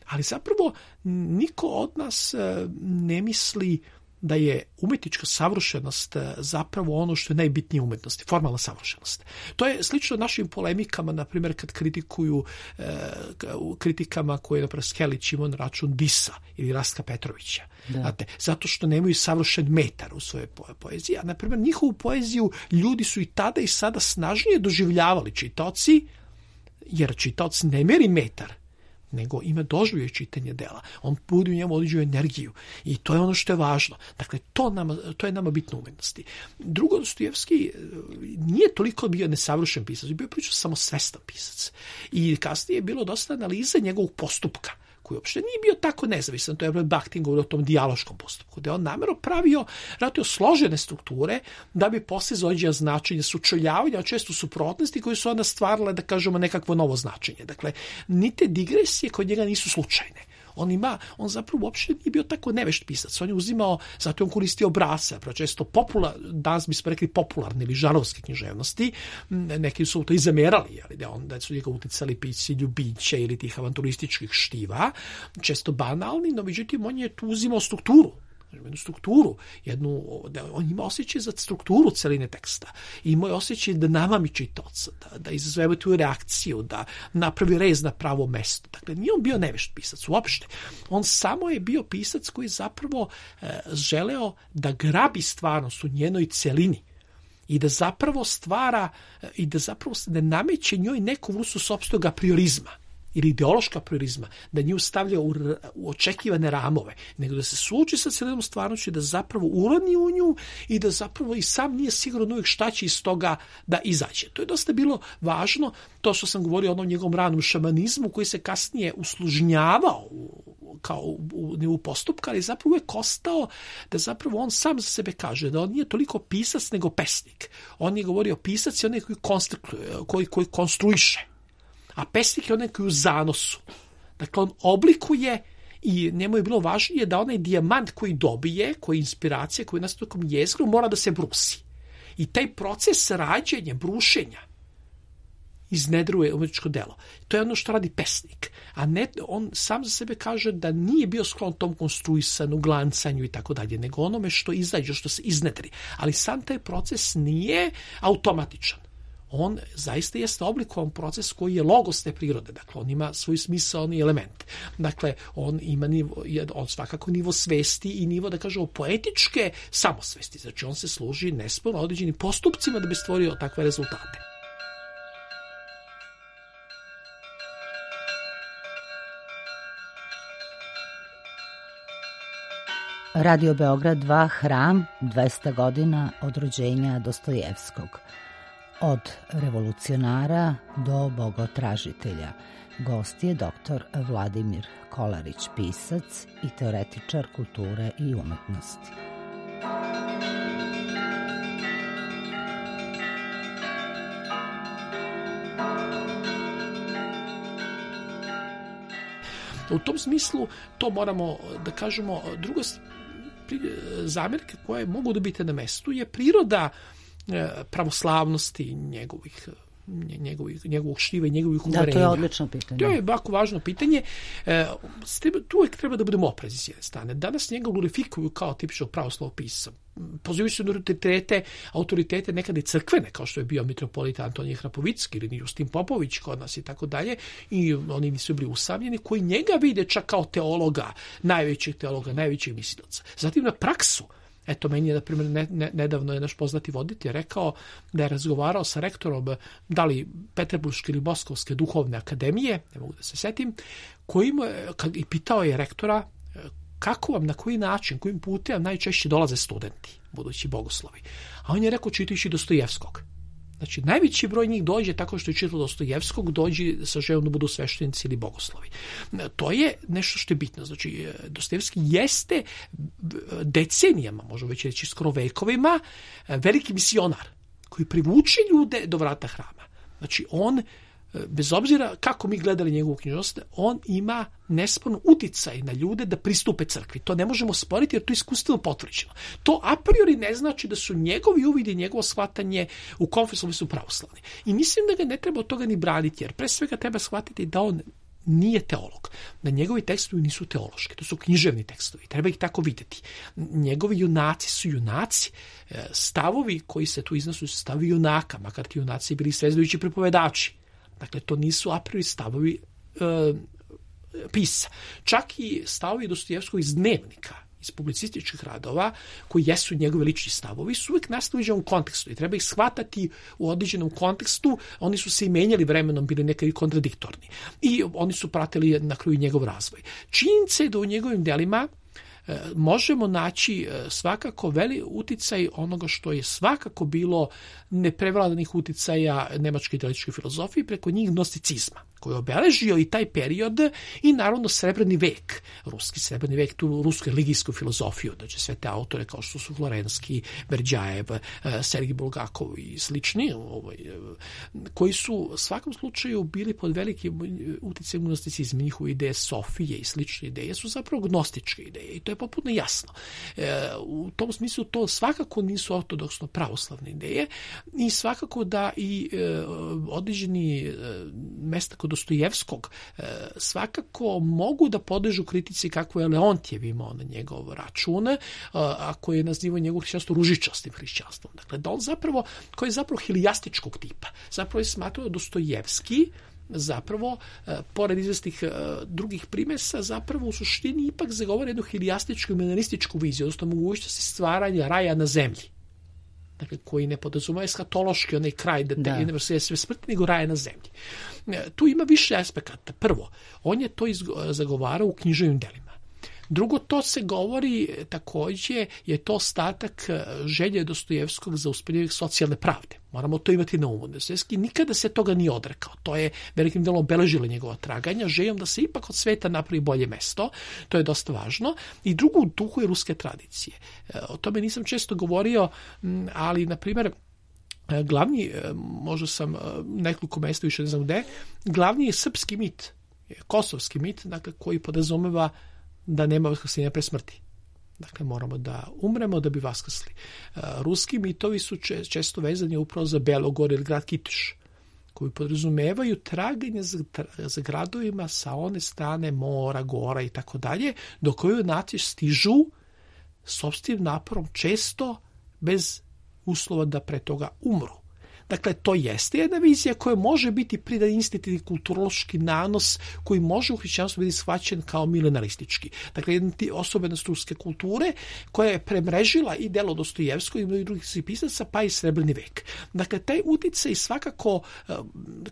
ali zapravo niko od nas ne misli da je umetnička savršenost zapravo ono što je najbitnije u umetnosti, formalna savršenost. To je slično našim polemikama, na primjer, kad kritikuju e, kritikama koje je, na primjer, Skelić imao na račun Disa ili Rastka Petrovića. Znate, zato što nemaju savršen metar u svojoj poeziji. A, na primjer, njihovu poeziju ljudi su i tada i sada snažnije doživljavali čitaoci, jer čitaoc ne meri metar, nego ima doživljaj čitanje dela. On budi u njemu određenu energiju i to je ono što je važno. Dakle, to, nama, to je nama bitno u umetnosti. Drugo, Dostojevski nije toliko bio nesavršen pisac, bio pričao samo svestan pisac. I kasnije je bilo dosta analize njegovog postupka, koji uopšte nije bio tako nezavisan. To je Bakhtin govorio o tom dijaloškom postupku, da je on namjerno pravio ratio složene strukture da bi posle zaođeo značenje sučeljavanja, često suprotnosti koje su onda stvarale, da kažemo, nekakvo novo značenje. Dakle, ni te digresije kod njega nisu slučajne. On ima, on zapravo uopšte nije bio tako nevešt pisac. On je uzimao, zato je on koristio obrasce, često popular, danas bismo rekli popularne ili žarovske književnosti. Neki su to i zamerali, ali da, on, da su njega uticali pisci ljubića ili tih avanturističkih štiva, često banalni, no međutim on je tu uzimao strukturu. jednu strukturu, jednu, da on ima osjećaj za strukturu celine teksta. I ima osjećaj da namami čitaoca, da, da izazove tu reakciju, da napravi rez na pravo mesto. Dakle, nije on bio nevešt pisac uopšte. On samo je bio pisac koji zapravo e, želeo da grabi stvarnost u njenoj celini i da zapravo stvara i da zapravo ne nameće njoj neku vrstu sopstvenog apriorizma ili ideološka priorizma, da nju stavlja u, u očekivane ramove, nego da se suoči sa celinom stvarnošću, da zapravo uroni u nju i da zapravo i sam nije siguran uvijek šta će iz toga da izađe. To je dosta bilo važno, to što sam govorio o onom njegovom ranom šamanizmu koji se kasnije uslužnjavao u, kao u, u nivu postupka, ali zapravo uvijek ostao da zapravo on sam za sebe kaže da on nije toliko pisac nego pesnik. On je govorio pisac je onaj koji, koji, koji konstruiše, a pesnik je onaj koji je u zanosu. Dakle, on oblikuje i njemu je bilo važnije da onaj dijamant koji dobije, koji je inspiracija, koji je nastao tokom jezgru, mora da se brusi. I taj proces rađenja, brušenja, iznedruje umetničko delo. To je ono što radi pesnik. A ne, on sam za sebe kaže da nije bio sklon tom konstruisanu, glancanju i tako dalje, nego onome što izađe, što se iznedri. Ali sam taj proces nije automatičan. On zaista jeste oblikovan proces koji je logos te prirode, dakle on ima svoj smisaoni element. Dakle, on ima nivo, on svakako nivo svesti i nivo, da kažemo, poetičke samosvesti. Znači, on se služi nesporno određenim postupcima da bi stvorio takve rezultate.
Radio Beograd dva, Hram, dvesta godina od rođenja Dostojevskog. Od revolucionara do bogotražitelja. Gost je doktor Vladimir Kolarić, pisac i teoretičar kulture i umetnosti.
U tom smislu to moramo da kažemo. Drugo, zamjerke koje mogu da biti na mestu je priroda pravoslavnosti njegovih njegovih, njegovog štiva i njegovih uverenja.
Da, to je odlično pitanje.
To je jako važno pitanje. E, tu uvijek treba da budemo oprezni s jedne strane. Danas njega glorifikuju kao tipičnog pravoslavnog pisca. Pozivaju se na autoritete, autoritete nekada i crkvene, kao što je bio mitropolit Antonije Hrapovicki ili Justin Popović kod nas i tako dalje, i oni nisu bili usamljeni, koji njega vide čak kao teologa, najvećeg teologa, najvećeg mislilaca. Zatim na praksu. Eto, meni je, na primjer, ne, ne, nedavno je naš poznati voditelj rekao da je razgovarao sa rektorom, da li Peterburške ili Moskovske duhovne akademije, ne mogu da se setim, kojim, kad, i pitao je rektora kako vam, na koji način, kojim putem najčešće dolaze studenti, budući bogoslovi. A on je rekao čitajući Dostojevskog. Znači, najveći broj njih dođe tako što je čitao Dostojevskog, dođe sa željom da budu sveštenici ili bogoslovi. To je nešto što je bitno. Znači, Dostojevski jeste decenijama, možemo već reći skoro vekovima, veliki misionar koji privuče ljude do vrata hrama. Znači, on, bez obzira kako mi gledali njegovu književnost, on ima nesporno uticaj na ljude da pristupe crkvi. To ne možemo sporiti jer to je iskustveno potvrđeno. To a priori ne znači da su njegovi uvidi, njegovo shvatanje u konfesionalnom su pravoslavni. I mislim da ga ne treba od toga ni braniti, jer pre svega treba shvatiti da on nije teolog. Da njegovi tekstovi nisu teološki, to su književni tekstovi, treba ih tako vidjeti. Njegovi junaci su junaci, stavovi koji se tu iznosu su stavovi junaka, makar ti junaci bili svežbajući pripovedači. Dakle, to nisu a priori stavovi e, pisa. Čak i stavovi Dostojevskog iz dnevnika, iz publicističkih radova, koji jesu njegove lični stavovi, su uvijek nastali u određenom kontekstu i treba ih shvatati u određenom kontekstu. Oni su se i menjali vremenom, bili nekad i kontradiktorni. I oni su pratili na kraju njegov razvoj. Činjenica je da u njegovim delima možemo naći svakako veli uticaj onoga što je svakako bilo neprevladanih uticaja nemačke idealističke filozofije, preko njih gnosticizma, koji je obeležio i taj period i naravno srebrni vek, ruski srebrni vek, tu rusku religijsku filozofiju, znači sve te autore kao što su Florenski, Berđajev, Sergij Bulgakov i slični, ovaj, koji su u svakom slučaju bili pod velikim uticajem gnosticizma. Njihove ideje Sofije i slične ideje su zapravo gnostičke ideje i to je potpuno jasno. E, u tom smislu to svakako nisu ortodoksno pravoslavne ideje i svakako da i e, određeni e, mesta kod Dostojevskog e, svakako mogu da podležu kritici kako je Leontjev imao na njegov račun, a, a koji je nazivao njegovo hrišćanstvo ružičastim hrišćanstvom. Dakle, da on zapravo, koji je zapravo hilijastičkog tipa. Zapravo je smatrao Dostojevski zapravo, e, pored izvestih e, drugih primesa, zapravo u suštini ipak zagovara jednu hilijastičku i menalističku viziju, odnosno mogućnosti stvaranja raja na zemlji. Dakle, koji ne podrazumeva eskatološki onaj kraj da, da. ne sve sve smrti, nego raje na zemlji. E, tu ima više aspekata. Prvo, on je to izgo, zagovarao u književnim delima. Drugo, to se govori također, je to ostatak želje Dostojevskog za uspostavljanje socijalne pravde. Moramo to imati na umu. Dostojevski nikada se toga nije odrekao. To je velikim delom obeležilo njegova traganja, željom da se ipak od sveta napravi bolje mesto. To je dosta važno. I drugo, u duhu je ruske tradicije. O tome nisam često govorio, ali, na primjer, glavni, možda sam nekoliko mesta, više ne znam gde, glavni je srpski mit, kosovski mit, dakle, koji podrazumeva da nema vaskrsenja pre smrti. Dakle, moramo da umremo da bi vaskrsli. Ruski mitovi su često vezani upravo za Belogor ili grad Kitiš, koji podrazumevaju traganje za, za gradovima sa one strane mora, gora i tako dalje, do koju naći stižu sopstvenim naporom, često bez uslova da pre toga umru. Dakle, to jeste jedna vizija koja može biti pridan institutivni kulturološki nanos koji može u hrišćanstvu biti shvaćen kao milenaristički. Dakle, jedna osobenost ruske kulture koja je premrežila i delo Dostojevskog i mnogih drugih pisaca, pa i srebrni vek. Dakle, taj uticaj svakako,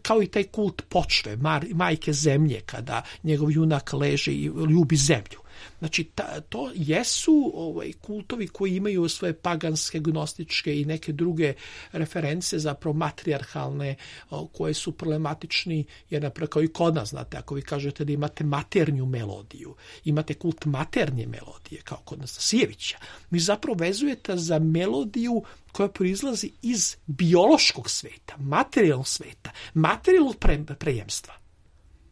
kao i taj kult počve, majke zemlje, kada njegov junak leže i ljubi zemlju. Znači, ta, to jesu ovaj, kultovi koji imaju svoje paganske, gnostičke i neke druge reference, zapravo matrijarhalne, o, koje su problematični, jer napravo kao i kod nas, znate, ako vi kažete da imate maternju melodiju, imate kult maternje melodije, kao kod Nastasijevića, vi zapravo vezujete za melodiju koja proizlazi iz biološkog sveta, materijalnog sveta, materijalnog pre, prejemstva.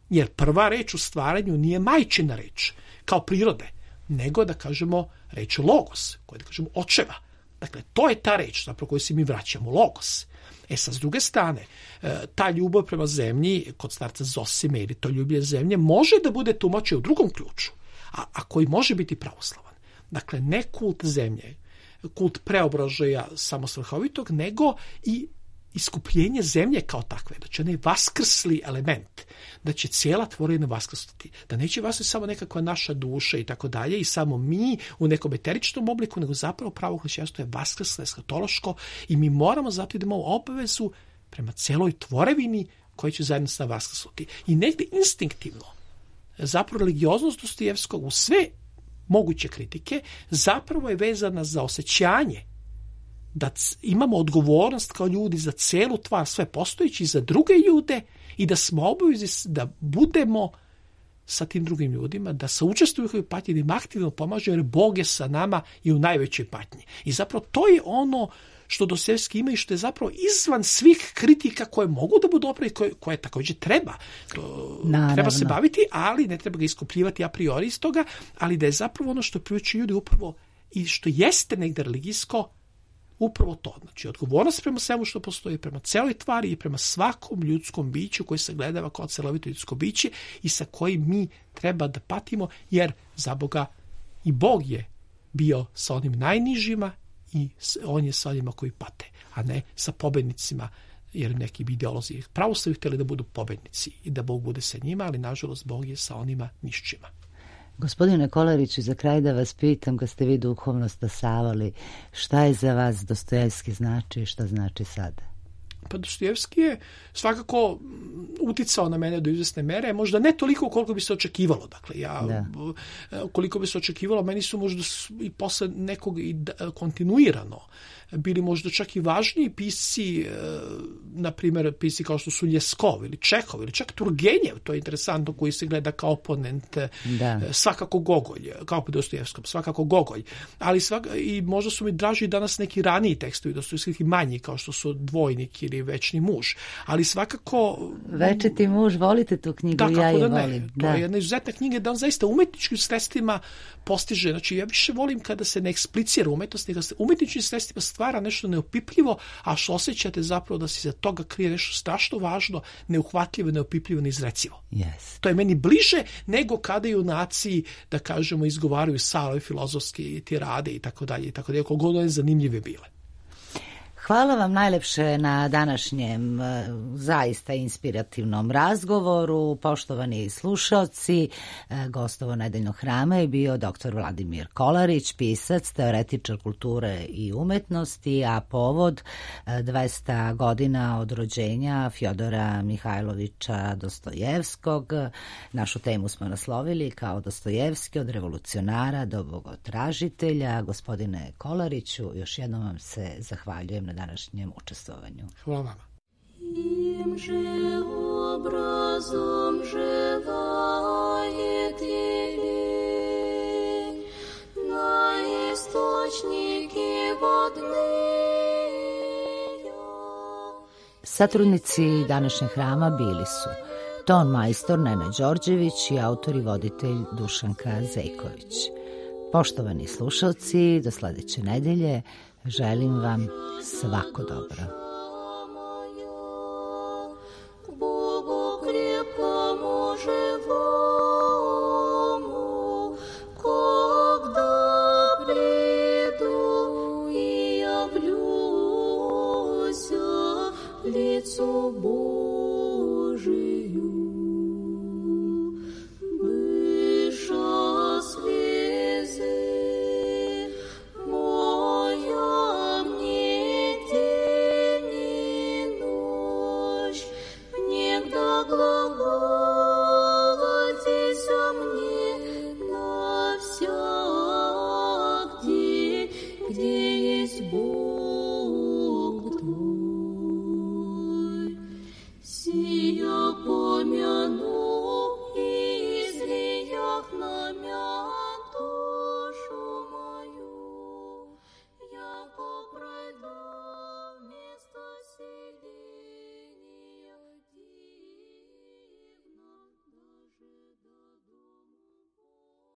Jer prva reč u stvaranju nije majčina reč, kao prirode, nego da kažemo reč logos, koja da kažemo očeva. Dakle, to je ta reč zapravo koju se mi vraćamo, logos. E sad, s druge strane, ta ljubav prema zemlji, kod starca Zosime ili to ljublje zemlje, može da bude tumačeno u drugom ključu, a, a koji može biti pravoslavan. Dakle, ne kult zemlje, kult preobražaja samosvrhovitog, nego i iskupljenje zemlje kao takve, da će onaj vaskrsli element, da će cijela tvorevina vaskrsnuti, da neće vaskrsnuti samo nekakva naša duša i tako dalje i samo mi u nekom eteričnom obliku, nego zapravo pravo hrišćanstvo je vaskrslo, eskatološko i mi moramo zato da imamo obavezu prema cijeloj tvorevini koja će zajedno sa vaskrsnuti. I negdje instinktivno, zapravo religioznost Dostojevskog u sve moguće kritike zapravo je vezana za osjećanje da imamo odgovornost kao ljudi za celu tvar, sve postojeći, za druge ljude i da smo obavezni da budemo sa tim drugim ljudima, da saučestvuju u njihovoj patnji, da im aktivno pomažu, jer Bog je sa nama i u najvećoj patnji. I zapravo to je ono što Dostojevski ima i što je zapravo izvan svih kritika koje mogu da budu opravljene, koje, koje također treba. Naravno. Treba se baviti, ali ne treba ga iskupljivati a priori iz toga, ali da je zapravo ono što priučuju ljudi upravo i što jeste negdje religijsko, upravo to. Znači, odgovornost prema svemu što postoji, prema celoj tvari i prema svakom ljudskom biću koji se gledava kao celovito ljudsko biće i sa kojim mi treba da patimo, jer za Boga i Bog je bio sa onim najnižima i on je sa onima koji pate, a ne sa pobednicima, jer neki bi ideolozi pravo su htjeli da budu pobednici i da Bog bude sa njima, ali nažalost Bog je sa onima nišćima.
Gospodine Kolariću, za kraj da vas pitam, kad ste vi duhovno stasavali, šta je za vas Dostojevski znači i šta znači sada?
Pa Dostojevski je svakako uticao na mene do izvesne mere, možda ne toliko koliko bi se očekivalo. Dakle, ja, da. koliko bi se očekivalo, meni su možda i posle nekog i kontinuirano bili možda čak i važniji pisci, na primjer pisci kao što su Ljeskov ili Čehov ili čak Turgenjev, to je interesantno, koji se gleda kao oponent, da. Svakako Gogolj, kao po Dostojevskom, svakako Gogolj, ali svaka, i možda su mi draži danas neki raniji tekstovi, Dostojevski manji, kao što su Dvojnik ili Večni muž, ali svakako...
Večiti muž, volite tu knjigu,
da,
ja je
da
volim.
To da. je jedna izuzetna knjiga da on zaista umetničkim sredstvima postiže, znači ja više volim kada se ne eksplicira umetnost, nego se umetničkim sredstvima stvara nešto neopipljivo, a što osjećate zapravo da se za toga krije nešto strašno važno, neuhvatljivo, neopipljivo, neizrecivo.
Yes.
To je meni bliže nego kada junaci, da kažemo, izgovaraju salve filozofske tirade i tako dalje i tako dalje, koliko god one zanimljive bile.
Hvala vam najlepše na današnjem zaista inspirativnom razgovoru. Poštovani slušaoci, gostovo Nedeljnog hrama je bio doktor Vladimir Kolarić, pisac, teoretičar kulture i umetnosti, a povod dvesta godina od rođenja Fjodora Mihajlovića Dostojevskog. Našu temu smo naslovili kao Dostojevski od revolucionara do bogotražitelja. Gospodine Kolariću, još jednom vam se zahvaljujem na današnjem učestvovanju.
Hvala vama.
Im же образом желает елей на источники водные.
Satrudnici današnjeg hrama bili su ton majstor Nena Đorđević i autor i voditelj Dušanka Zejković. Poštovani slušalci, do sledeće nedelje želim vam svako dobro.
Лицо Божие.